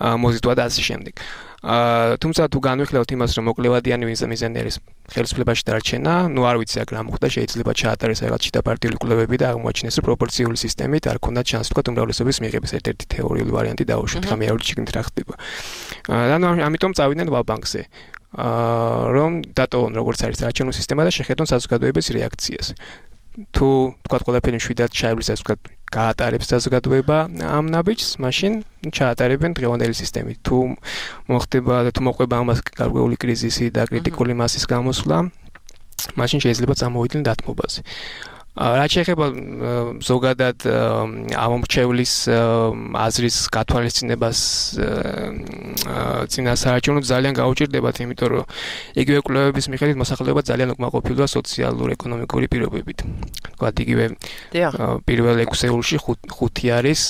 მოზიდვა და ასე შემდეგ. თუმცა თუ განვიხილავთ იმას, რომ მოკლევადიანი მიზანი არის ხელისუფლებაში დარჩენა, ნუ არ ვიცი აქ რა მოხდა, შეიძლება ჩაატარეს რაღაც შიდა პარტიული კვლევები და აღმოაჩინეს, რომ პროპორციული სისტემით არ ქონდა ჩანს თქვათ უმრავლესობის მიღების ერთ-ერთი თეორიული ვარიანტი დაუშვით, ხა მეორე შიგნით რა ხდება. ანუ ამიტომ წავიდნენ ვალბანკზე. რომ დატოვონ როგორც არის არჩევნო სისტემა და შეხედონ საზოგადოების რეაქციას. თუ თქვათ ყველაფერი მშვიდად ჩაივლის ასე ვთქვათ გაატარებს საზოგადოება ამ ნაბიჯს, მაშინ ჩაატარებენ დღევანდელი სისტემით. თუ მოხდება და თუ მოყვება ამას გარკვეული კრიზისი და კრიტიკული მასის გამოსვლა, მაშინ შეიძლება წამოვიდნენ დათმობაზე. რაც შეეხება ზოგადად ამორჩევლის აზრის გათვალისწინებას წინასაარჩევნოდ ძალიან გაუჭირდებათ, იმიტომ რომ იგივე კვლევების მიხედვით მოსახლეობა ძალიან უკმაყოფილოა სოციალურ-ეკონომიკური პირობებით. თქვათ იგივე პირველ 6 ეულში 5 არის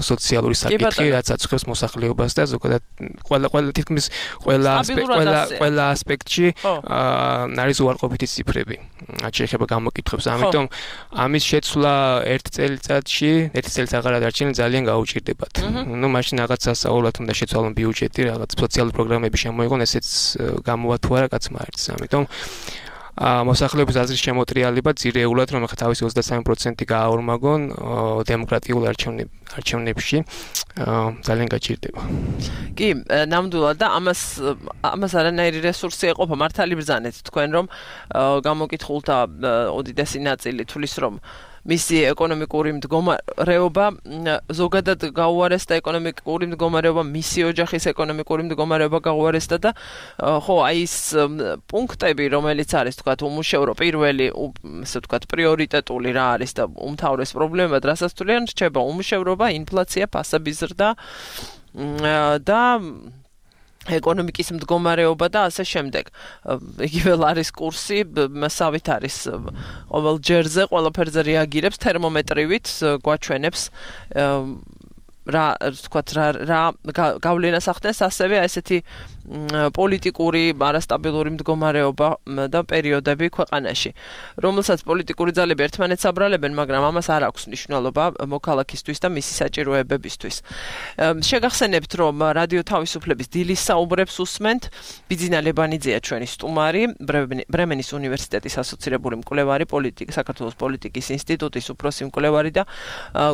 სოციალური საკითხი, რაც აწუხებს მოსახლეობას და ზოგადად ყველა თითქმის ყველა ასპექტში არის უარყოფითი ციფრები. რაც შეეხება გამოკითხვებს, ამიტომ ამის შეცვლა ერთ წელიწადში, ერთი წელიწად აღარ დარჩენილი ძალიან გაუჭირდებათ. ნუ მაშინ რაღაც სასწაულად უნდა შეცვალონ ბიუჯეტი, რაღაც სოციალური პროგრამები შემოიღონ, ესეც გამოვა თუ არა კაცმა არის. ამიტომ მოსახლეობის აზრის შემოტრიალება ძირეულად, რომ ახლა თავისი 23% გააორმაგონ დემოკრატიულ არჩევნებში. ძალიან გაჭირდება. კი, ნამდვილად და ამას არანაირი რესურსი ეყოფა მართალი ბრძანეთ თქვენ რომ გამოკითხულთა უდიდესი ნაწილი თulis რომ მისი ეკონომიკური მდგომარეობა ზოგადად გაუარესდა ეკონომიკური მდგომარეობა მისი ოჯახის ეკონომიკური მდგომარეობა გაუარესდა და ხო აი ეს პუნქტები რომელიც არის თქვათ უმუშევრო პირველი ესე თქვათ პრიორიტეტული რა არის და უმთავრეს პრობლემა რასაც თვლიან რჩება უმუშევრობა ინფლაცია ფასების ზრდა და ეკონომიკის მდგომარეობა და ასე შემდეგ. იგივე ლარის კურსი მასავით არის ყოველ ჯერზე, ყველაფერზე რეაგირებს თერმომეტრივით, გვაჩვენებს რა თქვათ რა გავლენას ახდენს ასევე ესეთი პოლიტიკური არასტაბილური მდგომარეობა და პერიოდები ქვეყანაში. რომელსაც პოლიტიკური ძალები ერთმანეთს აბრალებენ, მაგრამ ამას არ აქვს მნიშვნელობა მოქალაქისთვის და მისი საჭიროებებისთვის. შეგახსენებთ, რომ რადიო თავისუფლების დილის საუბრებს უსმენთ. ბიძინა ლებანიძეა ჩვენი სტუმარი, ბრემენის უნივერსიტეტის ასოცირებული მკვლევარი, საქართველოს პოლიტიკის ინსტიტუტის უფროსი მკვლევარი და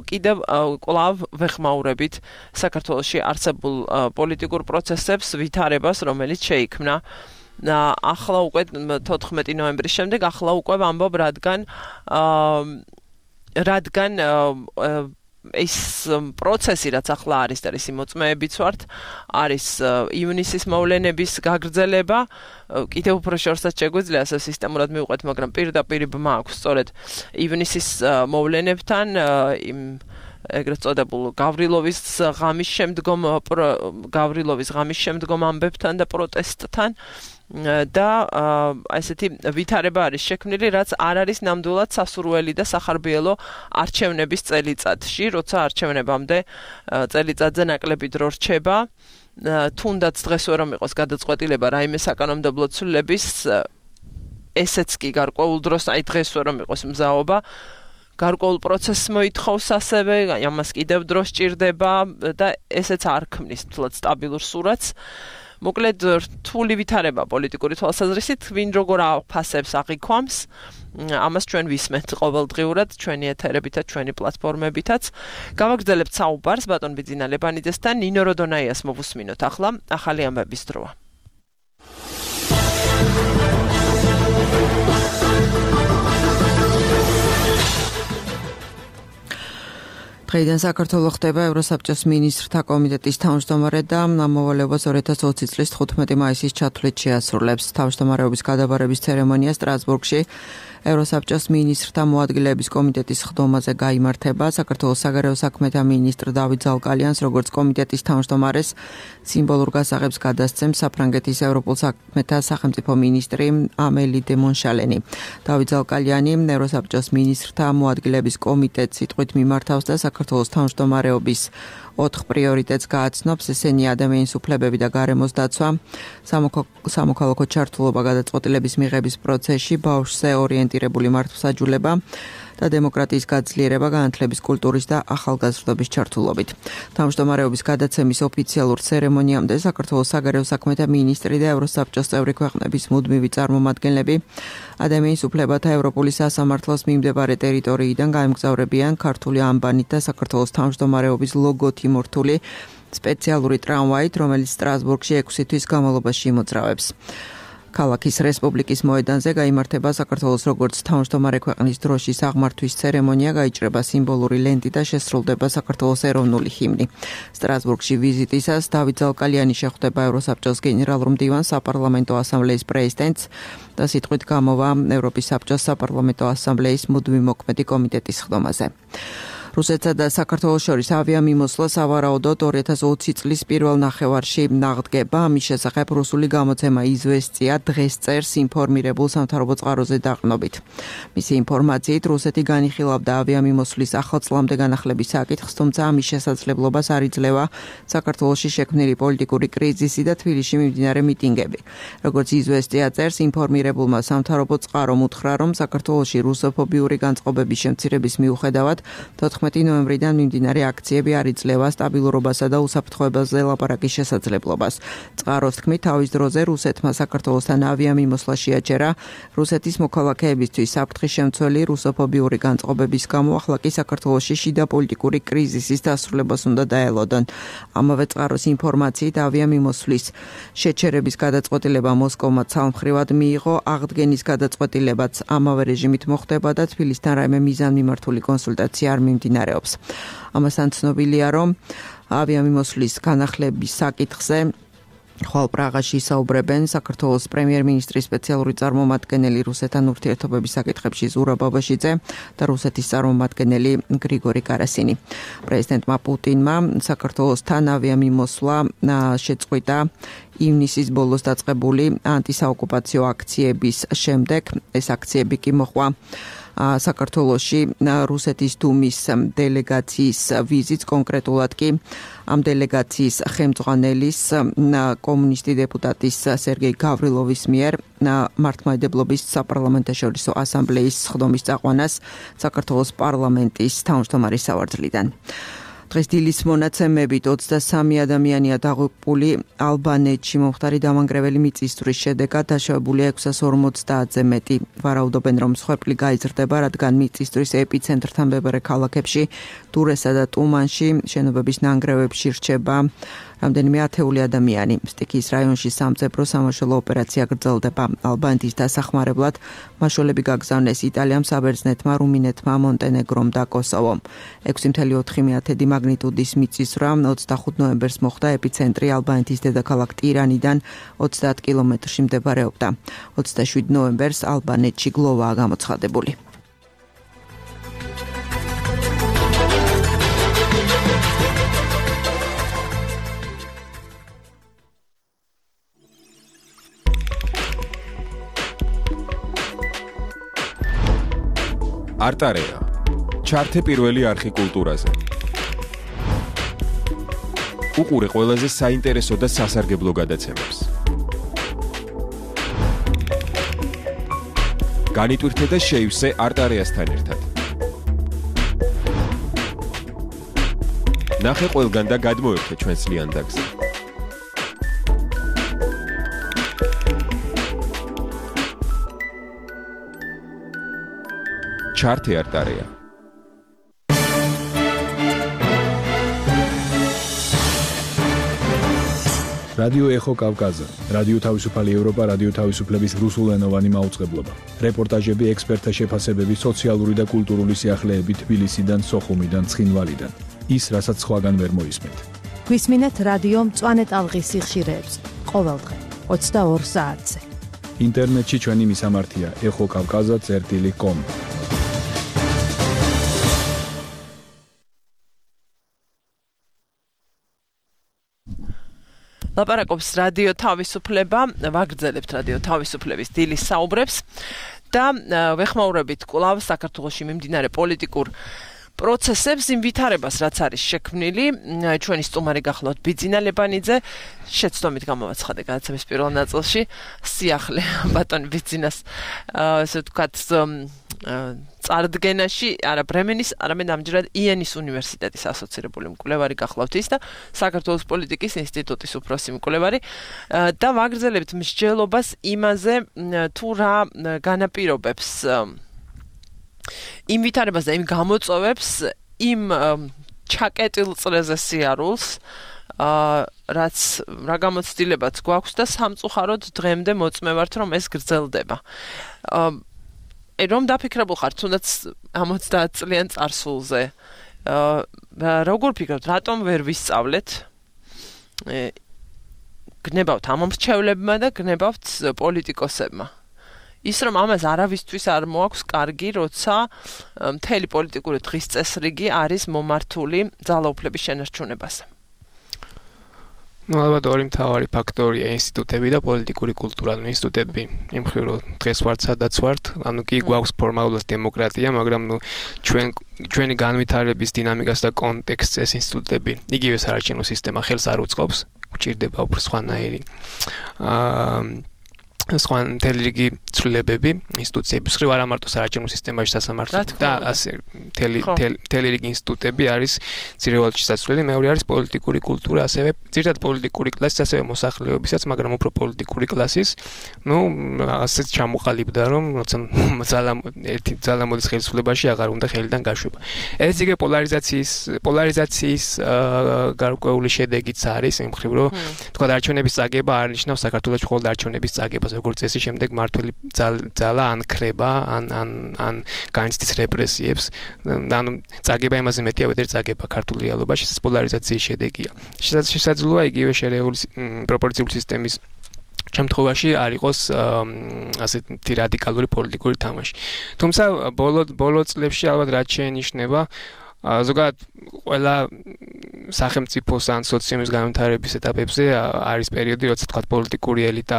კიდევ კვლავ ვეხმაურებით საქართველოში არსებულ პოლიტიკურ პროცესებს ვითარებას, რომელიც შეიქმნა ახლა უკვე 14 ნოემბრის შემდეგ ახლა უკვე ვამბობ რადგან ეს პროცესი რაც ახლა არის და ისი მოწმეებიც ვართ არის ივნისის მოვლენების გაგრძელება კიდევ უფრო შორსაც შეგვიძლია ასე სისტემურად მივყვეთ მაგრამ პირდაპირ ბმა აქვს სწორედ ივნისის მოვლენებთან ეგრეთ წოდებულ გავრილოვის ღამის შემდგომ ამბებთან და პროტესტთან და ესეთი ვითარება არის შექმნილი, რაც არ არის ნამდვილად სასურველი და სახარბიელო არჩევნების წელიწადში, როცა არჩევნებამდე წელიწადზე ნაკლები დრო რჩება, თუნდაც დღეს ვერ ამიყოს გადაწყვეტილება რაიმე საკანონმდებლო ცვლილების, ესეც კი გარკვეულ დროს, აი დღეს ვერ ამიყოს მზაობა გარკვეულ პროცესს მოითხოვს ასევე, ამას კიდევ დრო სჭირდება და ესეც არ ქმნის თულად სტაბილურ სურათს. მოკლედ რთული ვითარება პოლიტიკური თვალსაზრისით, ვინ როგორ აფასებს აღიქვამს, ამას ჩვენ ვისმენთ ყოველდღიურად ჩვენი ეთერებითა, ჩვენი პლატფორმებითაც. გავაგრძელებთ საუბარს ბატონ ბიძინა ლებანიძესთან, ნინო როდონაიას მოვუსმინოთ ახლა, ახალი ამბების დროა. დღეიდან საქართველოს ხდება ევროსაბჭოს მინისტრთა კომიტეტის თავმჯდომარე და მოვალეობას 2020 წლის 15 მაისის ჩათვლით შეასრულებს. თავმჯდომარეობის გადაბარების ცერემონია სტრასბურგში ევროსაბჭოს მინისტრთა მოადგილეების კომიტეტის ხდომაზე გაიმართება. საქართველოს საგარეო საქმეთა მინისტრ დავით ზალკალიანს როგორც კომიტეტის თავმჯდომარეს სიმბოლურ გასაღებს გადასცემს საფრანგეთის ევროპულ საქმეთა სახელმწიფო მინისტრი ამელი დე მონშალენი. დავით ზალკალიანი ევროსაბჭოს მინისტრთა მოადგილეების კომიტეტს სიტყვით მიმართავს და საქართველოს თავმჯდომარეობის 4 პრიორიტეტს გააცნობს, ესენია ადამიანის უფლებები და გარემოს დაცვა, სამოქალაქო ჩართულობა გადაწყვეტილების მიღების პროცესში, ბავშვზე ორიენტირებული მართლმსაჯულება და დემოკრატიის გაძლიერება განათლების კულტურის და ახალგაზრდობის ჩართულობით. თავმჯდომარეობის გადაცემის ოფიციალურ ცერემონიამდე საქართველოს საგარეო საქმეთა მინისტრი და ევროსაბჭოს წევრი ქვეყნების მუდმივი წარმომადგენლები ადამიანის უფლებათა ევროპული სასამართლოს მიმდებარე ტერიტორიიდან გაემგზავრებიან ქართული ამბანით და საქართველოს თავმჯდომარეობის ლოგოთი მორთული სპეციალური ტრამვაით, რომელიც სტრასბურგში 6 თვის განმავლობაში იმოძრავებს. ქალაქის რესპუბლიკის მოედანზე გაიმართება საქართველოს როგორც თავმჯდომარე ქვეყნის დროშის აღმართვის ცერემონია, გაიჭრება სიმბოლური ლენტი და შესრულდება საქართველოს ეროვნული ჰიმნი. სტრასბურგში ვიზიტისას დავით ზალკალიანი შეხვდება ევროსაბჭოს გენერალურ მდივანს, საპარლამენტო ასამბლეის პრეზიდენტს და სიტყვით გამოვა ევროპის საბჭოს საპარლამენტო ასამბლეის მუდმივი მოქმედი კომიტეტის ხდომაზე. რუსეთსა და საქართველოს შორის ავიამიმოსვლა სავარაუდოდ 2020 წლის პირველ ნახევარში აღდგება. ამის შესახებ რუსული გამოცემა იზვესტია დღეს წერს ინფორმირებულ სამთავრობო წყაროზე დაყრდნობით. მისი ინფორმაციით რუსეთი განიხილავდა ავიამიმოსვლის ახალწლამდე განახლების საკითხს, თუმცა ამის შესაძლებლობას არ იძლევა საქართველოში შექმნილი პოლიტიკური კრიზისი და თბილისში მიმდინარე მიტინგები. როგორც იზვესტია წერს, ინფორმირებულმა სამთავრობო წყარომ უთხრა, რომ საქართველოში რუსოფობიური განწყობების შემცირების მიუხედავად 14 15 ნოემბრიდან მიმდინარე აქციები არ იძლევა სტაბილურობასა და უსაფრთხოებაზე ლაპარაკის შესაძლებლობას. წყაროს თქმით, თავის დროზე რუსეთმა საქართველოსთან ავიამიმოსვლა შეაჩერა. რუსეთის მოქალაქეებისთვის საფრთხის შემცველი რუსოფობიური განწყობების გამო ახლა კი საქართველოში შიდა პოლიტიკური კრიზისის დასრულებას უნდა დაელოდონ. ამავე წყაროს ინფორმაციით ავიამიმოსვლის შეჩერების გადაწყვეტილება მოსკოვმა ცალმხრივად მიიღო, აღდგენის გადაწყვეტილებაც ამავე რეჟიმით მოხდება და თბილისთან რაიმე მიზანმიმართული კონსულტაცია არ მიმდინარეობს. ამასთან ცნობილია, რომ ავიამიმოსვლის განახლების საკითხზე ხვალ პრაღაში ისაუბრებენ საქართველოს პრემიერ-მინისტრის სპეციალური წარმომადგენელი რუსეთთან ურთიერთობების საკითხებში ზურაბ ბაბაშიძე და რუსეთის წარმომადგენელი გრიგორი კარასინი. პრეზიდენტმა პუტინმა საქართველოსთან ავიამიმოსვლა შეწყვიტა ივნისის ბოლოს დაწყებული ანტისაოკუპაციო აქციების შემდეგ. ეს აქციები კი მოხდა საქართველოში რუსეთის დუმის დელეგაციის ვიზიტს, კონკრეტულად კი ამ დელეგაციის ხელმძღვანელის კომუნისტი დეპუტატის სერგეი გავრილოვის მიერ მართლმადიდებლობის საპარლამენტაშორისო ასამბლეის სხდომის წაყვანას საქართველოს პარლამენტის თავმჯდომარის სავარძლიდან. დღეს დილის მონაცემებით 23 ადამიანია დაღუპული ალბანეთში მომხდარი დამანგრეველი მიწისძვრის შედეგად დაშავებულია 650-ზე მეტი. ვარაუდობენ, რომ მსხვერპლი გაიზრდება, რადგან მიწისძვრის ეპიცენტრთან მდებარე ქალაქებში დურესა და ტუმანში შენობების ნანგრევებში რჩება რამდენიმე ათეული ადამიანი. სტიქიის რაიონში სამძებრო სამაშველო ოპერაცია გრძელდება. ალბანეთის დასახმარებლად მაშველები გაგზავნეს იტალიამ, საბერძნეთმა, რუმინეთმა, მონტენეგრომ და კოსოვომ. 6.4 მაგნიტუდის მიწისძვრა 25 ნოემბერს მოხდა, ეპიცენტრი ალბანეთის დედაქალაქ ტირანიდან 30 კილომეტრში მდებარეობდა. 27 ნოემბერს ალბანეთში გლოვაა გამოცხადებული. არტარეა. ჩართე პირველი არხი კულტურაზე. უყურე ყველაზე საინტერესო და სასარგებლო გადაცემებს. განიტვირთე და შეივსე არტარეასთან ერთად. ნახე ყველგან და გადმოერთე ჩვენს ლიანდაგზე. ჩართე არტარეა. რადიო ეხო კავკაზა, რადიო თავისუფალი ევროპა, რადიო თავისუფლების რუსულენოვანი მაუწყებლობა. რეპორტაჟები, ექსპერტთა შეფასებები, სოციალური და კულტურული სიახლეები თბილისიდან, სოხუმიდან, ცხინვალიდან. ის, რასაც სხვაგან ვერ მოისმენთ. გვისმინეთ რადიო მწვანე ტალღის სიხშირეებს ყოველდღე 22 საათზე. ინტერნეტში ჩვენი მისამართია ეხოკავკაზა.com. ლაპარაკობს რადიო თავისუფლება, ვაგრძელებთ რადიო თავისუფლების დილის საუბრებს და ვეხმაურებით კვლავ საქართველოში მიმდინარე პოლიტიკურ პროცესებს, იმ ვითარებას, რაც არის შექმნილი. ჩვენი სტუმარი გახლავთ ბიძინა ლებანიძე, შეცდომით გამოვაცხადე გადაცემის პირველ ნაწილში სიახლე ბატონ ბიძინას, ასე ვთქვათ, წარდგენაში, არა ბრემენის, არამედ ამჯერად იენის უნივერსიტეტის ასოცირებული მკვლევარი გახლავთ ის და საქართველოს პოლიტიკის ინსტიტუტის უფროსი მკვლევარი და ვაგრძელებთ მსჯელობას იმაზე, თუ რა განაპირობებს იმ ვითარებას და იმ გამოწვევებს, იმ ჩაკეტილ წრეზე სიარულს, რაც რა გამოცდილებაც გვაქვს და სამწუხაროდ დღემდე მოწმე ვართ, რომ ეს გრძელდება. რომ დაფიქრებულ ხართ, თუნდაც 70 წლიან წარსულზე. როგორ ფიქრობთ, რატომ ვერ ვისწავლეთ? გნებავთ ამომრჩევლებმა და გნებავთ პოლიტიკოსებმა. ის რომ ამას არავისთვის არ მოაქვს კარგი, როცა მთელი პოლიტიკური დღის წესრიგი არის მომართული ძალაუფლების შენარჩუნებაზე. ალბათ ორი მთავარი ფაქტორია ინსტიტუტები და პოლიტიკური კულტურა. ინსტიტუტები იმ მხრივ რომ დღეს ვართ სადაც ვართ, ანუ კი გვაქვს ფორმალურად დემოკრატია, მაგრამ ჩვენი განვითარების დინამიკას და კონტექსტს ეს ინსტიტუტები იგივე საარჩევნო სისტემა ხელს არ უწყობს, გვჭირდება უფრო სხვანაირი სხვა მთელი რიგი ცვლილებები ინსტიტუციების მხრივ არა მარტო საარჩევნო სისტემაში სასამართლო და ასე მთელი რიგი ინსტიტუტები არის ძირევალში შესაძლებელი. მეორე არის პოლიტიკური კულტურა, ასევე ძირითადად პოლიტიკური კლასის, ასევე მოსახლეობისაც, მაგრამ უფრო პოლიტიკური კლასის, ასეც ჩამოყალიბდა, რომ როცა ერთი ძალა მოდის ხელისუფლებაში, აღარ უნდა ხელიდან გაშვება. ეს იგი პოლარიზაციის გარკვეული შედეგიც არის, იმ მხრივ, რომ თქვა არჩევნების წაგება არ ნიშნავს საქართველოს მხოლოდ არჩევნების წაგებას, როგორც წესი, შემდეგ მართველი ძალა ან ხრება, ან განიცდის რეპრესიებს. ანუ წაგება იმაზე მეტია, ვიდრე წაგება ქართულ რეალობაში, ეს პოლარიზაციის შედეგია. შესაძლოა იგივე შერეული პროპორციული სისტემის შემთხვევაში არ იყოს ასეთი რადიკალური პოლიტიკური თამაში. თუმცა ბოლო წლებში ალბათ რაც შეინიშნება, ზოგადად ყველა სახელმწიფოს ან სოციუმის განვითარების ეტაპებზე არის პერიოდი, როცა თქვა პოლიტიკური ელიტა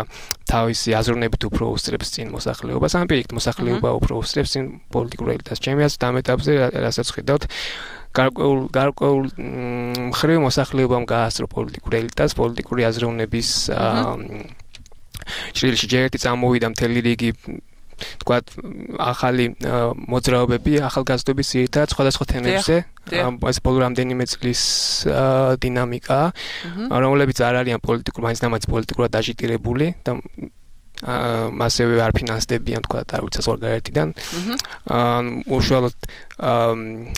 თავისი აზროვნებით უფრო უსწრებს წინ მოსახლეობას, ან პირიქით მოსახლეობა უფრო უსწრებს წინ პოლიტიკურ ელიტას. ჩემი აზრით ამ ეტაპზე რასაც ხედავთ, გარკვეულ მხრივ მოსახლეობამ გაასწრო პოლიტიკურ ელიტას, პოლიტიკური აზროვნების ჭრილში ჯერ ერთი წამოვიდა მთელი რიგი თქვათ ახალი მოძრაობები, ახალგაზრდობის ძირითადად სხვადასხვა თემებზე, ეს ბოლო რამდენიმე წლის დინამიკა, რომლებიც არ არიან მაინც პოლიტიკურად დაჟიტირებული და მასევე არ ფინანსდებიან თქვათ არ ვიცი ზღვარგარეთიდან. უშუალოდ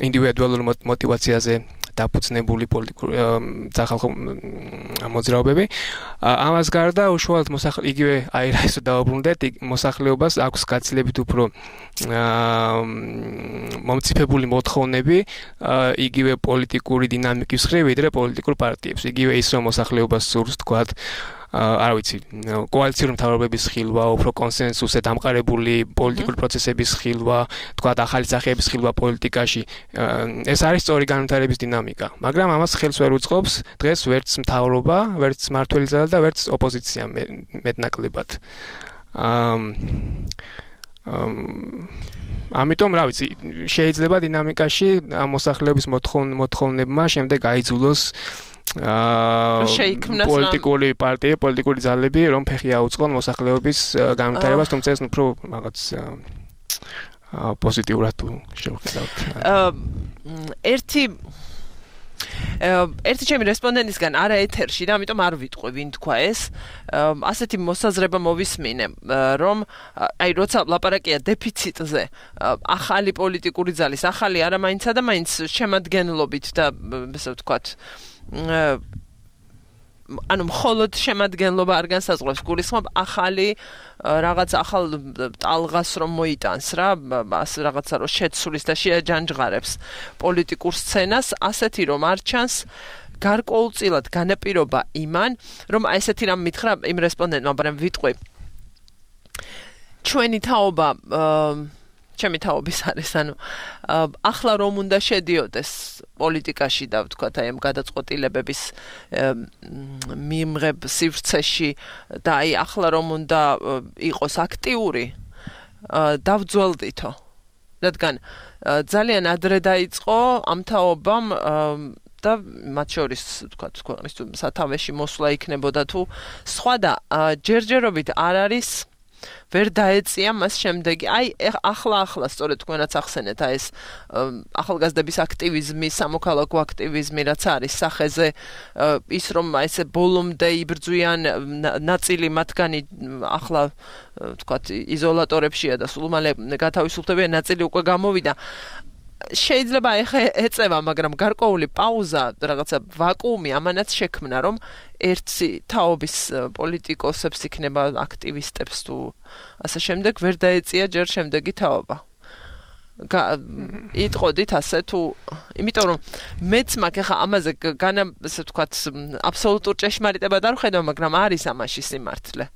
ინდივიდუალურ მოტივაციაზე დაფუძნებული პოლიტიკური სახალხო მოძრაობები. ამას გარდა უშუალოდ იგივე აირაისო დაუბრუნდეთ, მოსახლეობას აქვს გაცილებით უფრო მომწიფებული მოთხოვნები იგივე პოლიტიკური დინამიკის მხრივ, ვიდრე პოლიტიკურ პარტიებს. იგივე ის რომ მოსახლეობას სურს თქვათ არ ვიცი, კოალიციური მთავრობების ხილვა, უფრო კონსენსუსზე დამყარებული პოლიტიკური პროცესების ხილვა, თქვათ ახალი სახეების ხილვა პოლიტიკაში. ეს არის სწორი განვითარების დინამიკა, მაგრამ ამას ხელს ვერ უწყობს დღეს ვერც მთავრობა, ვერც მმართველი ძალა და ვერც ოპოზიცია მეტნაკლებად. ამიტომ რა ვიცი, შეიძლება დინამიკაში მოსახლეობის მოთხოვნებმა შემდეგ აიძულოს პოლიტიკური პარტიები, პოლიტიკური ძალები, რომ ფეხი აუწყონ მოსახლეობის განვითარებას, თუმცა ეს უფრო რაღაც პოზიტიურად შევხედავთ. ერთი ჩემი რესპონდენტისგან არა ეთერში და ამიტომ არ ვიტყვი ვინ თქვა ეს. ასეთი მოსაზრება მოვისმინე, რომ აი როცა ლაპარაკია დეფიციტზე, ახალი პოლიტიკური ძალის, ახალი არა მაინცსა და მაინც შემადგენლობით და ესე ვთქვათ ანუ მხოლოდ შემადგენლობა არ განსაზღვრებს, გულისხმობ ახალი რაღაც ახალ ტალღას რომ მოიტანს რა, ასე რაღაცა რომ შეცვლის და შეაჯანჯღარებს პოლიტიკურ სცენას, ასეთი რომ არ ჩანს გარკვეულწილად განაპირობა იმან, რომ ესეთი რამ მითხრა იმ რესპონდენტმა, მაგრამ ვიტყვი ჩვენი თაობა ჩემი თაობის არის, ანუ ახლა რომ უნდა შედიოდეს პოლიტიკაში და ვთქვათ აი ამ გადაწყვეტილებების მიმღებ სივრცეში და აი ახლა რომ უნდა იყოს აქტიური, დავძველდითო. რადგან ძალიან ადრე დაიწყო ამ თაობამ და მათ შორის ვთქვათ ქვეყნის სათავეში მოსვლა იქნებოდა თუ სხვა და ჯერჯერობით არ არის ვერ დაეწია მას შემდეგი. აი ახლა სწორედ თქვენაც ახსენეთ აი ეს ახალგაზრდების აქტივიზმი, სამოქალაქო აქტივიზმი რაც არის სახეზე, ის რომ აი ესე ბოლომდე იბრძვიან, ნაწილი მათგანი ახლა ვთქვათ იზოლატორებშია და სულ მალე გათავისუფლდებიან, ნაწილი უკვე გამოვიდა. შეიძლება ეხა ეწევა, მაგრამ გარკვეული პაუზა, რაღაცა ვაკუუმი ამანაც შექმნა, რომ ერთი თაობის პოლიტიკოსებს იქნება აქტივისტებს თუ ასე შემდეგ ვერ დაეწია ჯერ შემდეგი თაობა. იტყოდით ასე თუ იმიტომ რომ მეც მაგ ეხა ამაზე ესე ვთქვათ აბსოლუტურ ჭეშმარიტებად არ ვხედავ, მაგრამ არის ამაში სიმართლე.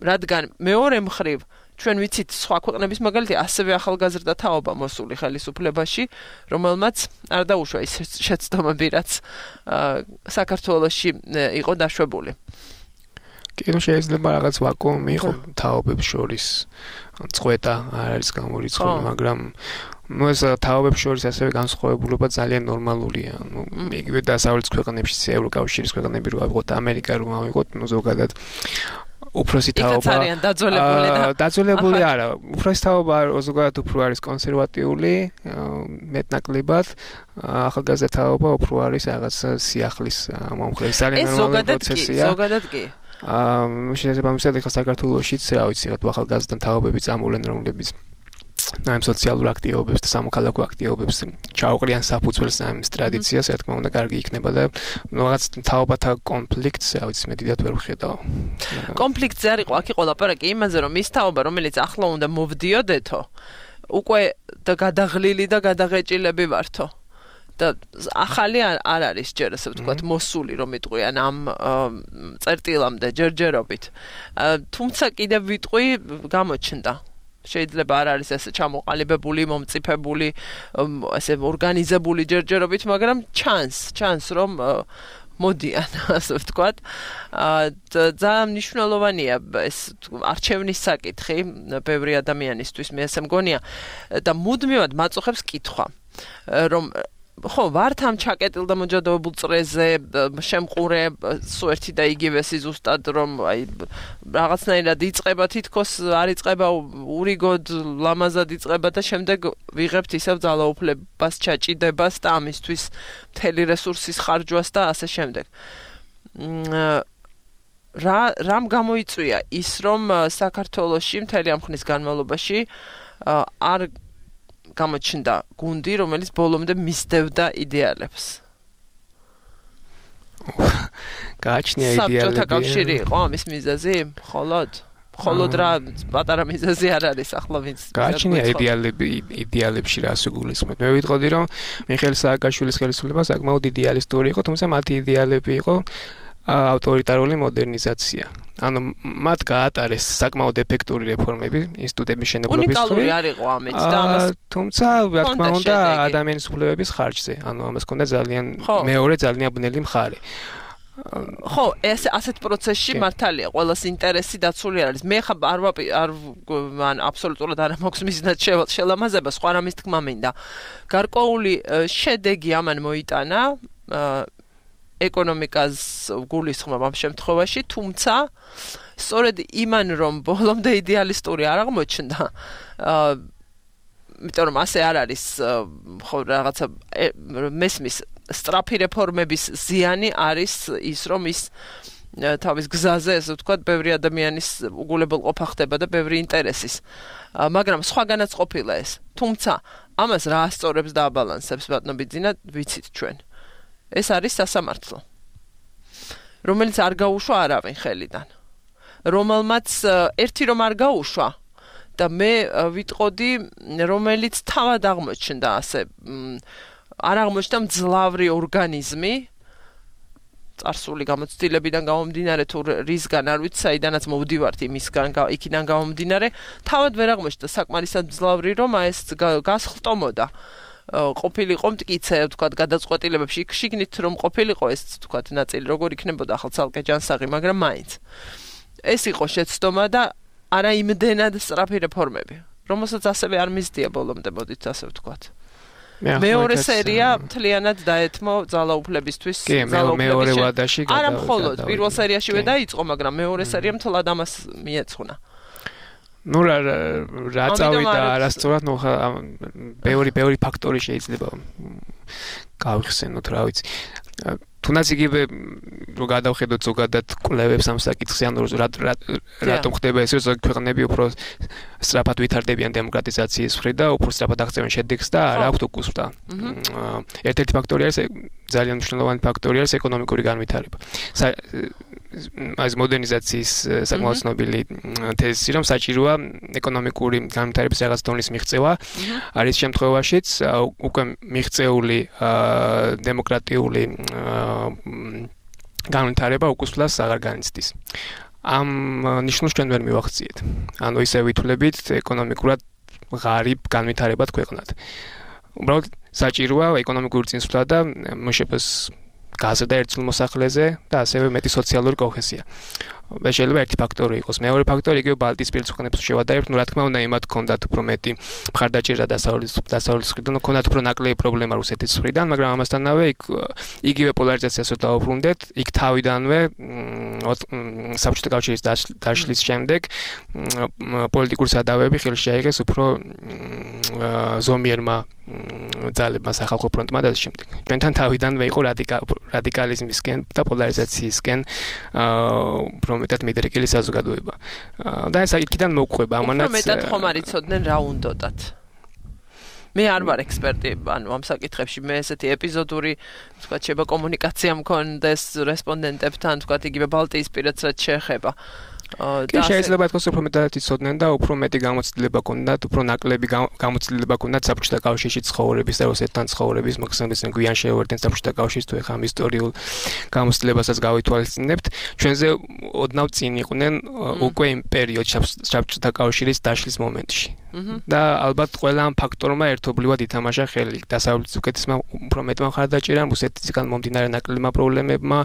რადგან მეორე მხრივ ჩვენ ვიცით სხვა ქვეყნების მაგალითი ასევე ახალგაზრდა თაობა მოსული ხელისუფლებაში, რომელმაც არ დაუშვა ის შეცდომები, რაც საქართველოში იყო დაშვებული. კი, შეიძლება რაღაც ვაკუუმი იყო თაობებს შორის, წყვეტა არ არის გამორიცხული, მაგრამ ეს თაობებს შორის ასევე განსხვავებულობა ძალიან ნორმალურია. იგივე დასავლეთის ქვეყნებში, ევროკავშირის ქვეყნები რო ავიღოთ, ამერიკა რო ავიღოთ, ზოგადად უფროსი თაობა დაძველებული არა უფროსი თაობა ზოგადად უფრო არის კონსერვატიული მეტნაკლებად ახალგაზრდა თაობა უფრო არის რაღაც სიახლის მომხრე ძალიან ნორმალური პროცესია ზოგადად კი შეიძლება ამისად ახლა საქართველოშიც რა ვიცი რა ახალგაზრდა თაობები წამოვლენ რომლებიც ამ სოციალურ აქტივობებს და სამოქალაქო აქტივობებს ჩაუყრიან საფუძველს ამ ტრადიციას, რა თქმა უნდა, კარგი იქნება და რაღაც თაობათა კონფლიქტს, რა ვიცი, მე დიდად ვერ ვხედავ. კონფლიქტზე არ იყო, აქ იყო ლაპარაკი იმაზე, რომ ის თაობა, რომელიც ახლა უნდა მოვდიოდეთო, უკვე და გადაღლილი და გადაღეჭილები ვართო. და ახალი არ არის ჯერ ასე ვთქვათ მოსული რომ იტყვიან ამ წერტილამდე ჯერჯერობით. თუმცა კიდევ ვიტყვი გამოჩნდა შეიძლება არ არის ესე ჩამოყალიბებული, მომწიფებული, ესე ორგანიზებული ჯერჯერობით, მაგრამ ჩანს რომ მოდიან, ასე ვთქვათ. ძალიან მნიშვნელოვანია ეს არჩევნის საკითხი ბევრი ადამიანისთვის, მე ასე მგონია და მუდმივად მაწუხებს კითხვა, რომ ხო, ვართ ამ ჩაკეტილ და მოჯადოებულ წრეზე შემყურე სულ ერთი და იგივე ზუსტად რომ აი რაღაცნაირად იწყება თითქოს არ იწყება ურიგოდ ლამაზად იწყება და შემდეგ ვიღებთ ისევ ძალაუფლებას ჩაჭიდებას და ამისთვის მთელი რესურსის ხარჯვას და ასე შემდეგ. რამ გამოიწვია ის რომ საქართველოში მთელი ამ ხნის განმავლობაში არ გამოჩნდა გუნდი, რომელიც ბოლომდე მისდევდა იდეალებს. გააჩნია იდეალები. საბჭოთა კავშირი იყო ამის მიზეზი? მხოლოდ რა პატარა მიზეზი არ არის ახლა ვინც გააჩნია იდეალებში რას უგულისხმობთ. მე ვიტყოდი რომ მიხეილ სააკაშვილის ხელისუფლება საკმაოდ იდეალისტური იყო, თუმცა მათი იდეალები იყო ავტორიტარული მოდერნიზაცია. ანუ მათ გაატარეს საკმაოდ ეფექტური რეფორმები ინსტიტუტების შენობების უნიკალური არ იყო ამით და ამას თუმცა რა თქმა უნდა ადამიანის უფლებების ხარჯზე. ანუ ამას ჰქონდა ძალიან მეორე ძალიან ბნელი მხარე. ხო, ასეთ პროცესში მართალია, ყველას ინტერესი დაცული არის. მე ხა მან აბსოლუტურად არ მაქვს მიზნად შელამაზება, სხვა რამის თქმა მინდა. გარკვეული შედეგი ამან მოიტანა ეკონომიკას გულისხმობ ამ შემთხვევაში, თუმცა სწორედ იმან რომ ბოლომდე იდეალისტური არ აღმოჩნდა, იმიტომ რომ ასე არ არის, ხო რაღაცა მესმის სწრაფი რეფორმების ზიანი არის ის რომ ის თავის გზაზე, ასე ვთქვათ, ბევრი ადამიანის უგულებელყოფა ხდება და ბევრი ინტერესის. მაგრამ სხვაგანაც ყოფილა ეს. თუმცა ამას რა ასწორებს და აბალანსებს ბატონო ბიძინა, ვიცით ჩვენ. ეს არის სასამართლო, რომელიც არ გაუშვა არავინ ხელიდან, რომელმაც ერთი რომ არ გაუშვა და მე ვიტყოდი, რომელიც თავად აღმოჩნდა ასე, არ აღმოჩნდა მძლავრი ორგანიზმი, წარსული გამოცდილებიდან გამომდინარე თუ რისგან არ ვიცი, საიდანაც მოვდივართ იქიდან გამომდინარე, თავად ვერ აღმოჩნდა საკმარისად მძლავრი, რომ ეს გასხლტომოდა. ყოფილიყო მტკიცე, ვთქვათ, გადაწყვეტილებებში შიგნით რომ ყოფილიყო ეს, ვთქვათ, ნაწილი როგორ იქნებოდა ახლა ცალკე ჯანსაღი, მაგრამ მაინც. ეს იყო შეცდომა და არა იმდენად სწრაფი რეფორმები, რომელსაც ასევე არ მისდია ბოლომდე, მოდით ასე ვთქვათ. მეორე სერია მთლიანად დაეთმო ძალაუფლებისთვის, მეორე ვადაში არა მხოლოდ პირველ სერიაშივე დაიწყო, მაგრამ მეორე სერია მთლად ამას მიეძღვნა. ნუ რა წავიდა არასწორად, ნუ ბევრი ფაქტორი შეიძლება გავიხსენოთ, რა ვიცი. თუნდაც იგივე რო გადავხედოთ ზოგადად კვლევებს ამ საკითხზე, ანუ რატომ ხდება ეს, რომ ზოგი ქვეყნები უფრო სწრაფად ვითარდებიან დემოკრატიზაციის მხრით და უფრო სწრაფად აღწევენ შედეგს და არ აქვთ უკუსვლა. ერთ-ერთი ფაქტორი არის, ძალიან მნიშვნელოვანი ფაქტორი არის ეკონომიკური განვითარება. ეს მოდერნიზაციის საკმაოდ ცნობილი თეზისი, რომ საჭიროა ეკონომიკური განვითარების რაღაც დონის მიღწევა, არის შემთხვევაშიც უკვე მიღწეული დემოკრატიული განვითარება უკუსვლას აღარ განიცდის. ამ ნიშნულს ჩვენ ვერ მივახციეთ. ანუ ისე ვითვლებით ეკონომიკურად ღარიბ განვითარებად ქვეყნად. უბრალოდ საჭიროა ეკონომიკური წინსვლა და მშპ-ს გაზრდა ერთსულ მოსახლეზე და ასევე მეტი სოციალური კოჰეზია. შეიძლება ერთი ფაქტორი იყოს. მეორე ფაქტორი იგივე ბალტიისპირეთის ქვეყნებს შევადარებთ, რა თქმა უნდა, იმათ ჰქონდათ უფრო მეტი მხარდაჭერა დასავლეთის მხრიდან, ჰქონდათ უფრო ნაკლები პრობლემა რუსეთის მხრიდან, მაგრამ ამასთანავე იგივე პოლარიზაციას დავუბრუნდეთ, იქ თავიდანვე საბჭოთა კავშირის დაშლის შემდეგ პოლიტიკური სადავეები ხელში აიღეს უფრო ზომიერმა ძალებმა სახალხო ფრონტმა და შემდეგ. ჩვენთან თავიდანვე იყო რადიკალიზმისკენ და პოლარიზაციისკენ უფრო მეტად მიდრეკილი საზოგადოება. და ეს იქიდან მოგვხვდება ამანაც. უფრო მეტად ხომ არ იცოდნენ რა უნდათ. მე არ ვარ ექსპერტი, ანუ ამ საკითხებში მე ესეთი ეპიზოდური, თქვათ, შეება კომუნიკაცია მქონდეს რესპონდენტებთან, თქვათ, იგივე ბალტიისპირეთს რაც შეეხება. კი შეიძლება ითქვას უფრო მეტად იცოდნენ და უფრო მეტი გამოცდილება ჰქონდათ, უფრო ნაკლები გამოცდილება ჰქონდათ საბჭოთა კავშირში ცხოვრების და რუსეთთან ცხოვრების, მოხსენდეს გვიან შეევერთენ საბჭოთა კავშირს თუ ეხა ამ ისტორიულ გამოცდილებასაც გავითვალისწინებთ. ჩვენზე ოდნავ წინ იყვნენ უკვე იმ პერიოდში საბჭოთა კავშირის დაშლის მომენტში. და ალბათ ყველა ამ ფაქტორმა ერთობლივად ითამაშა ხელი. დასავლეთის უკეთესმა უფრო მეტმა მხარდაჭერამ, რუსეთისგან მომდინარე ნაკლებმა პრობლემებმა,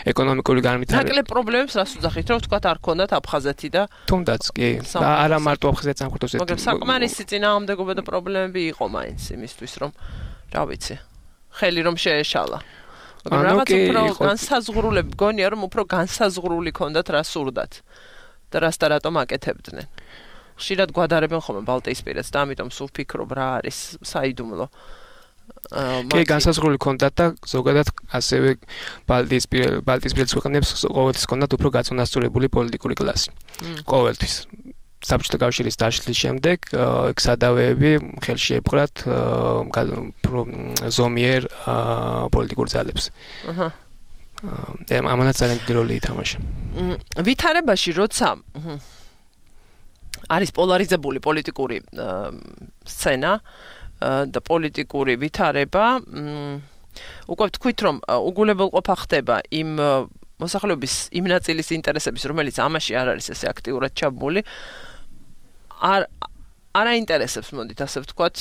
ეკონომიკური განვითარება. ნაკლებ პრობლემებს რას უძახით, რომ თქვათ არ ქონდათ აფხაზეთი და თუნდაც კი. და არა მარტო აფხაზეთს ამ ხუთოს მაგრამ საკმარისი წინააღმდეგობა და პრობლემები იყო მაინც იმისთვის, რომ რა ვიცი, ხელი რომ შეეშალა. მაგრამ რაღაც უფრო განსაზღვრულები გონია, რომ უფრო განსაზღვრული ქონდათ რა სურდათ და რას და რატომ აკეთებდნენ. ხშირად გვადარებენ ხოლმე ბალტიისპირეთს და ამიტომ სულ ვფიქრობ რა არის საიდუმლო. კი, განსაზღვრული ქონდათ და ზოგადად ასევე ბალტიისპირეთის ქვეყნებს ყოველთვის ქონდათ უფრო გაწონასწორებული პოლიტიკური კლასი. ყოველთვის. საბჭოთა კავშირის დაშლის შემდეგ იქ სადავეები ხელში ეპყრათ ზომიერ პოლიტიკურ ძალებს. ამანაც ძალიან დიდი როლი ითამაშა. ვითარებაში როცა არის პოლარიზებული პოლიტიკური სცენა და პოლიტიკური ვითარება, უკვე ვთქვით, რომ უგულებელყოფა ხდება იმ მოსახლეობის იმ ნაწილის ინტერესების, რომელიც ამაში არ არის ესე აქტიურად ჩაბმული, არ აინტერესებს, მოდით ასე ვთქვათ,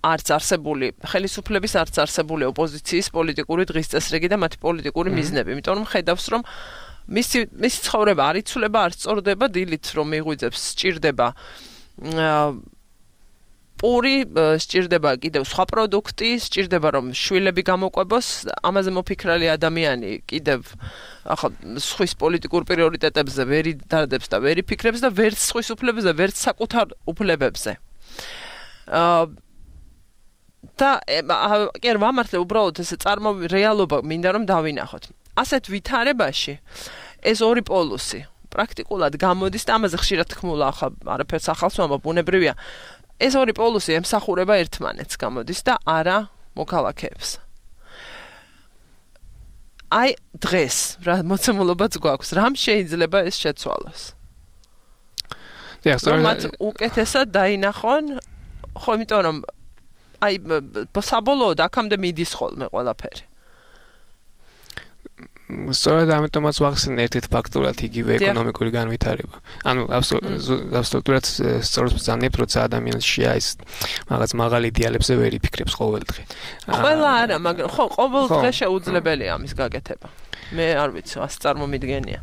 არც არსებული ხელისუფლების, არც არსებული ოპოზიციის პოლიტიკური დღის წესრიგი და მათი პოლიტიკური მიზნები. იმიტომ რომ ხედავს, რომ მისი ცხოვრება არ იცვლება, არ სწორდება დილით, რომ მიღვიძებს, სჭირდება პური, სჭირდება კიდევ სხვა პროდუქტი, სჭირდება რომ შვილები გამოყვებოს, ამაზე მოფიქრალი ადამიანი კიდევ ახლა სხვის პოლიტიკურ პრიორიტეტებზე ვერ იდარდებს და ვერ იფიქრებს და ვერც სხვის უფლებებზე, ვერც საკუთარ უფლებებზე. და კი არ ვამართლე უბრალოდ ესე რეალობა მინდა რომ დავინახოთ. ასეთ ვითარებაში ეს ორი პოლუსი პრაქტიკულად გამოდის და ამაზე ხშირად თქმულა, ახლა არაფერს ახალს ვამბობ, ბუნებრივია. ეს ორი პოლუსი ემსახურება ერთმანეთს გამოდის და არა მოქალაქეებს. აი დღეს რა მოცემულობაც გვაქვს, რამ შეიძლება ეს შეცვალოს? მათ უკეთესად დაინახონ, ხო, იმიტომ რომ აი საბოლოოდ აქამდე მიდის ხოლმე ყველაფერი. სწორედ ამიტომაც ვახსენე ერთ-ერთ ფაქტორად იგივე ეკონომიკური განვითარება. ანუ აბსოლუტურად სწორად ვზანებ, როცა ადამიანს შეაის რაღაც მაღალი იდეალებზე ვერ იფიქრებს ყოველ დღე. ყველა არა, მაგრამ ხო, ყოველ დღე შეუძლებელია ამის გაკეთება. მე არ ვიცი, ასე წარმომიდგენია.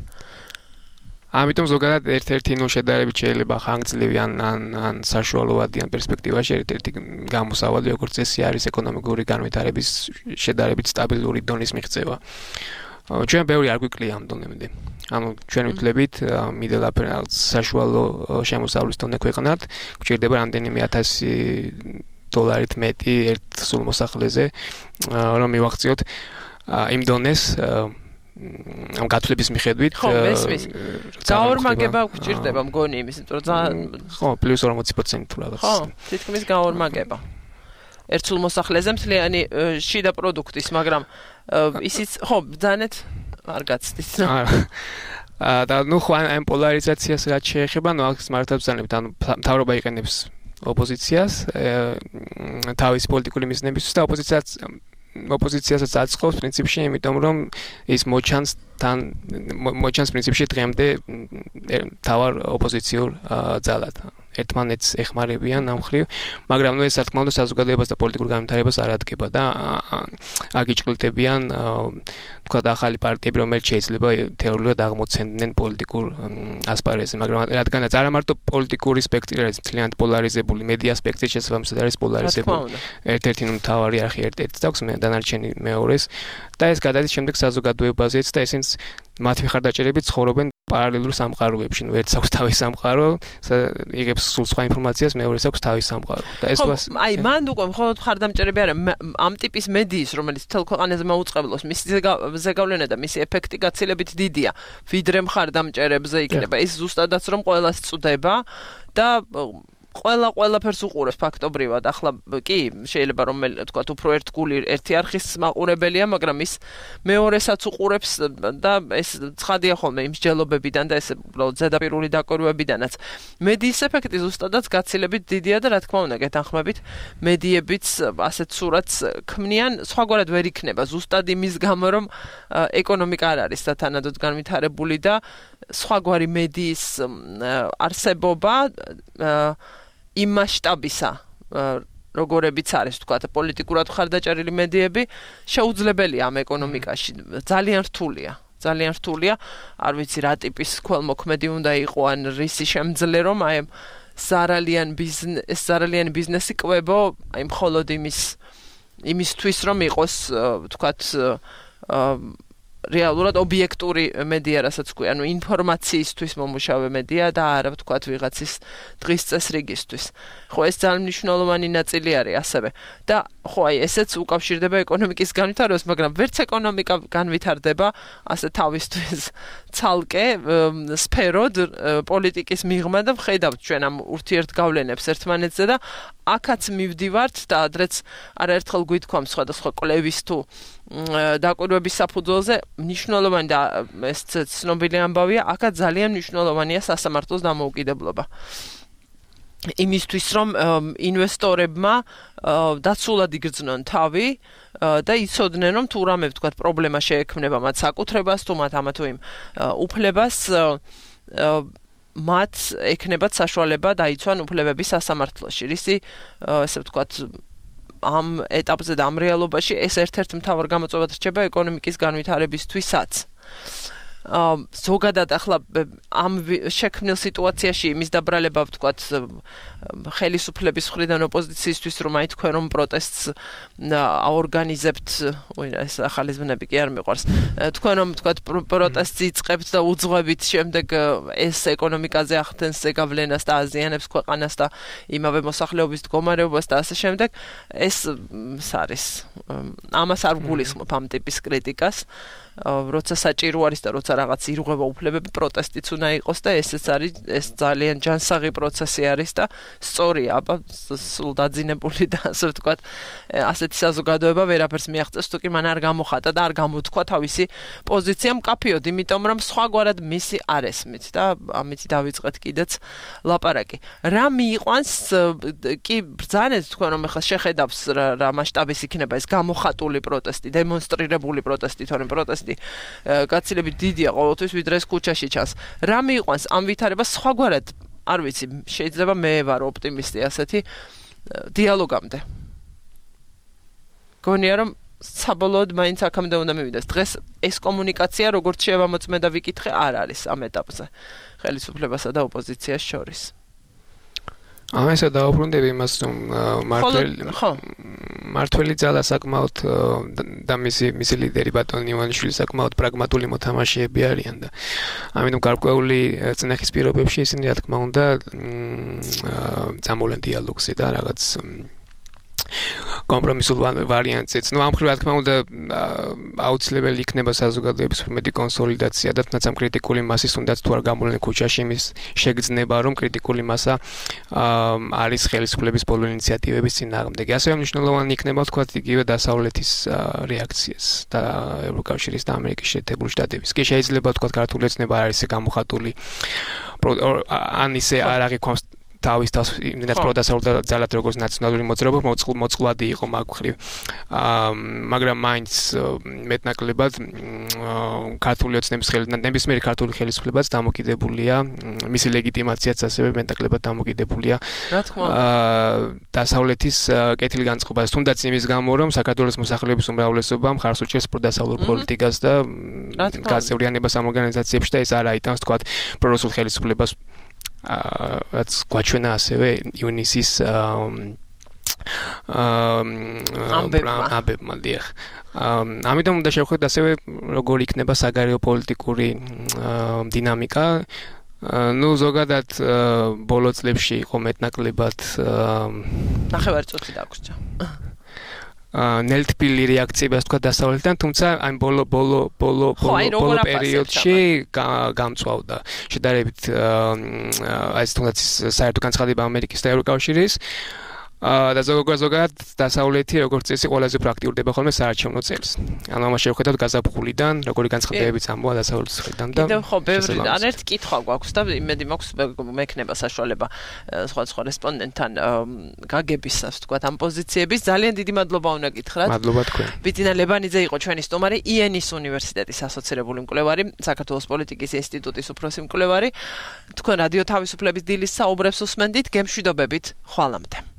ამიტომ ზოგადად ერთ-ერთი შედარებით შეიძლება ხანგრძლივი ან საშუალოვადი ან პერსპექტივაში ერთ-ერთი გამოსავალი როგორც წესი არის ეკონომიკური განვითარების შედარებით სტაბილური დონის მიღწევა. ჩვენ ბევრი არ გვიკლია ამ დონემდე. ანუ ჩვენ ვთვლებით მიდელაფერ საშუალო შემოსავლის დონე ქვეყნად, გვჭირდება რამდენიმე 1000 დოლარით მეტი ერთ სულ მოსახლეზე, რომ მივაღწიოთ იმ დონეს ამ გათვლების მიხედვით გაორმაგება გვჭირდება მგონი იმის, რომ ძალიან ხო, პლუს 40% თუ რაღაც. ხო, თითქმის გაორმაგება. ერთ სულ მოსახლეზე მთლიანი შიდა პროდუქტის, მაგრამ ისიც ხო, ბრძანეთ არ გაცდით. და ნუ ხო ამ პოლარიზაციას რაც შეეხება, ნუ აქ მართლა ბრძანებთ, ანუ მთავრობა იყენებს ოპოზიციას თავის პოლიტიკური მიზნებისთვის და ოპოზიციასაც აწყობს პრინციპში, იმიტომ რომ ის მოჩანს პრინციპში დღემდე თავარ ოპოზიციურ ძალად. ერთმანეთს ეხმარებიან ამ მხრივ, მაგრამ ეს რა თქმა უნდა საზოგადოებას და პოლიტიკურ განვითარებას არ ადგენდა და აგიჭყლდებიან თქვა ახალი პარტიები, რომელიც შეიძლება თეორიულად აღმოცენდნენ პოლიტიკურ ასპარეზზე, მაგრამ რადგანაც არა მარტო პოლიტიკური სპექტრი არის ძალიან პოლარიზებული, მედია სპექტრი შესაბამისად არის პოლარიზებული. ერთ-ერთი მთავარი არხი ერთ-ერთს აქვს, დანარჩენი მეორეს და ეს გადადის შემდეგ საზოგადოებაზეც და ესენც მათ მხარდაჭერებით ცხოვრობენ პარალელურ სამყაროებში. ერთ აქვს თავის სამყარო, იღებს სულ სხვა ინფორმაციას, მეორეს აქვს თავის სამყარო. და ეს აი მან უკვე მხოლოდ მხარდამჭერები არა, ამ ტიპის მედიის, რომელიც მთელ ქვეყანაზე მოუწყებლობს, მისი ზეგავლენა და მისი ეფექტი გაცილებით დიდია, ვიდრე მხარდამჭერებზე იქნება. ეს ზუსტადაც რომ ყველას წვდება და ყველაფერს უყურებს ფაქტობრივად. ახლა კი შეიძლება რომ თქვა უფრო ერთგული ერთი არხის მაყურებელია, მაგრამ ის მეორესაც უყურებს და ეს ცხადია ხოლმე იმ მსჯელობებიდან და ეს უბრალოდ ზედაპირული დაკვირვებიდანაც. მედიის ეფექტი ზუსტადაც გაცილებით დიდია და რა თქმა უნდა გეთანხმებით, მედიებიც ასეთ სურათს ქმნიან, სხვაგვარად ვერ იქნება ზუსტად იმის გამო რომ ეკონომიკა არ არის სათანადოდ განვითარებული და სხვაგვარი მედიის არსებობა იმ მასშტაბისა, როგორებიც არის, თქვათ, პოლიტიკურად მხარდაჭერილი მედიები, შეუძლებელია ამ ეკონომიკაში. ძალიან რთულია. ძალიან რთულია. არ ვიცი რა ტიპის ქველმოქმედი უნდა იყო ან რისი შემძლე რომ აი ზარალიანი ბიზნესი კვებო, აი მხოლოდ იმისთვის რომ იყოს, თქვათ, რეალურად ობიექტური მედია, რასაც ქვია, ანუ ინფორმაციისთვის მომუშავე მედია და არა ვთქვათ ვიღაცის დღის წესრიგისთვის. ხო, ეს ძალიან მნიშვნელოვანი ნაწილი არის ასევე. და ხო, აი ესეც უკავშირდება ეკონომიკის განვითარებას, მაგრამ ვერც ეკონომიკა განვითარდება ასე თავისთვის ცალკე სფეროდ პოლიტიკის მიღმა და ვხედავთ ჩვენ ამ ურთიერთგავლენებს ერთმანეთზე და აქაც მივდივართ და ადრეც არაერთხელ გვითქვამ სხვადასხვა კვლევის თუ დაკვირვების საფუძველზე მნიშვნელოვანი და ეს ცნობილი ამბავია, აქაც ძალიან მნიშვნელოვანია სასამართლოს დამოუკიდებლობა. იმისთვის რომ ინვესტორებმა დაცულად იგრძნონ თავი და იცოდნენ რომ თუ რამე ვთქვათ პრობლემა შეექმნება მათ საკუთრებას თუ მათ ამა თუ იმ უფლებას მათ ექნებათ საშუალება დაიცვან უფლებები სასამართლოში. რისი ესე ვთქვათ ამ ეტაპზე და ამ რეალობაში ეს ერთ-ერთი მთავარ გამოწვევად რჩება ეკონომიკის განვითარებისთვისაც. ზოგადად ახლა ამ შექმნილ სიტუაციაში იმის დაბრალება ვთქვათ ხელისუფლების მხრიდან ოპოზიციისთვის რომ აი თქვენ რომ პროტესტს აორგანიზებთ, ეს ახალი ზმნები კი არ მიყვარს. თქვენ რომ ვთქვათ პროტესტს იწყებთ და უძღვებით შემდეგ ეს ეკონომიკაზე ახდენს ზეგავლენას და აზიანებს ქვეყანას და იმავე მოსახლეობის მდგომარეობას და ასე შემდეგ, ეს არის ამას არ გულისხმობ ამ ტიპის კრიტიკას. როცა საჭირო არის და როცა რაღაც ირღვევა უფლებები, პროტესტიც უნდა იყოს და ესეც არის, ეს ძალიან ჯანსაღი პროცესი არის და სწორია, აბა სულ დაძინებული და ასე ვთქვათ, ასეთი საზოგადოება ვერაფერს მიაღწევს, თუ კი მან არ გამოხატა და არ გამოთქვა თავისი პოზიცია მკაფიოდ, იმიტომ რომ სხვაგვარად მისი არ ესმით და ამით დავიწყეთ კიდეც ლაპარაკი. რა მიიყვანს კი ბრძანეთ თქვენ რომ ახლა შეხედავს რა მასშტაბის იქნება ეს გამოხატული პროტესტი, დემონსტრირებული პროტესტი, თორემ პროტესტი გაცილებით დიდია ყოველთვის ვიდრე ეს ქუჩაში ჩანს. რა მიიყვანს ამ ვითარებას სხვაგვარად, არ ვიცი, შეიძლება მე ვარ ოპტიმისტი ასეთი დიალოგამდე. გონია რომ საბოლოოდ მაინც აქამდე უნდა მივიდეს. დღეს ეს კომუნიკაცია როგორც შევამოწმე და ვიკითხე არ არის ამ ეტაპზე ხელისუფლებასა და ოპოზიციას შორის. ამასა დაუბრუნდები იმას რომ მართველი ძალა საკმაოდ და მისი ლიდერი ბატონი ივანიშვილი საკმაოდ პრაგმატული მოთამაშეები არიან და ამიტომ გარკვეული წნეხის პირობებში ისინი რა თქმა უნდა წამოვლენ დიალოგზე და რაღაც კომპრომისულ ვარიანტზეც. ნუ ამ მხრივ რა თქმა უნდა აუცილებელი იქნება საზოგადოების მეტი კონსოლიდაცია და თუნდაც ამ კრიტიკული მასის თუნდაც თუ არ გამოვლენ ქუჩაში იმის შეგრძნება რომ კრიტიკული მასა არის ხელისუფლების ბოლო ინიციატივების წინააღმდეგ. ასევე მნიშვნელოვანი იქნება თქვა იგივე დასავლეთის რეაქციას და ევროკავშირის და ამერიკის შეერთებული შტატების. კი შეიძლება თქვა ქართული ეცნება არის გამოხატული ან ისე არ აღიქვამს თავის თავს იმდენად პროდასავლდა ძალად როგორც ნაციონალური მოძრაობა მოწყვლადი იყო მაგ მხრივ. მაგრამ მაინც მეტნაკლებად ქართული ოცნების ნებისმიერი ქართული ხელისუფლებაც დამოკიდებულია, მისი ლეგიტიმაციაც ასევე მეტნაკლებად დამოკიდებულია დასავლეთის კეთილგანწყობას, თუნდაც იმის გამო, რომ საქართველოს მოსახლეობის უმრავლესობა მხარს უჭერს პროდასავლურ პოლიტიკას და გაწევრიანებას ამ ორგანიზაციებში და ეს არ აიტანს თქვათ პრორუსულ ხელისუფლებას რაც გვაჩვენა ასევე იუნისის ამბებმა დიახ. ამიტომ უნდა შევხედოთ ასევე როგორ იქნება საგარეო პოლიტიკური დინამიკა. Ну, ზოგადად ბოლო წლებში იყო მეტნაკლებად ნახევარწუთი დაგვრჩა. ნელთბილი რეაქციები ასე თქვა დასავლეთიდან, თუმცა აი ბოლო პერიოდში გამწვავდა შედარებით აი თუნდაც საერთო განცხადება ამერიკის და ევროკავშირის და ზოგადად დასავლეთი როგორც წესი ყველაზე პრაქტიკურდება ხოლმე საარჩევნო წელს. ანუ ამას შევხედავთ გაზაფხულიდან, როგორი განცხადებებიც ამბოა დასავლეთის მხრიდან და კიდევ ხო ბევრი ან ერთ კითხვა გვაქვს და იმედი მაქვს მექნება საშუალება სხვა რესპონდენტთან გაგების ასე ვთქვათ ამ პოზიციების. ძალიან დიდი მადლობა უნდა გითხრათ. მადლობა თქვენ. ბიძინა ლებანიძე იყო ჩვენი სტუმარი, იენის უნივერსიტეტის ასოცირებული მკვლევარი, საქართველოს პოლიტიკის ინსტიტუტის უფროსი მკვლევარი. თქვენ რადიო თავისუფლების დილის საუბრებს უსმენდით, გემშვიდობებით, ხვალამდე.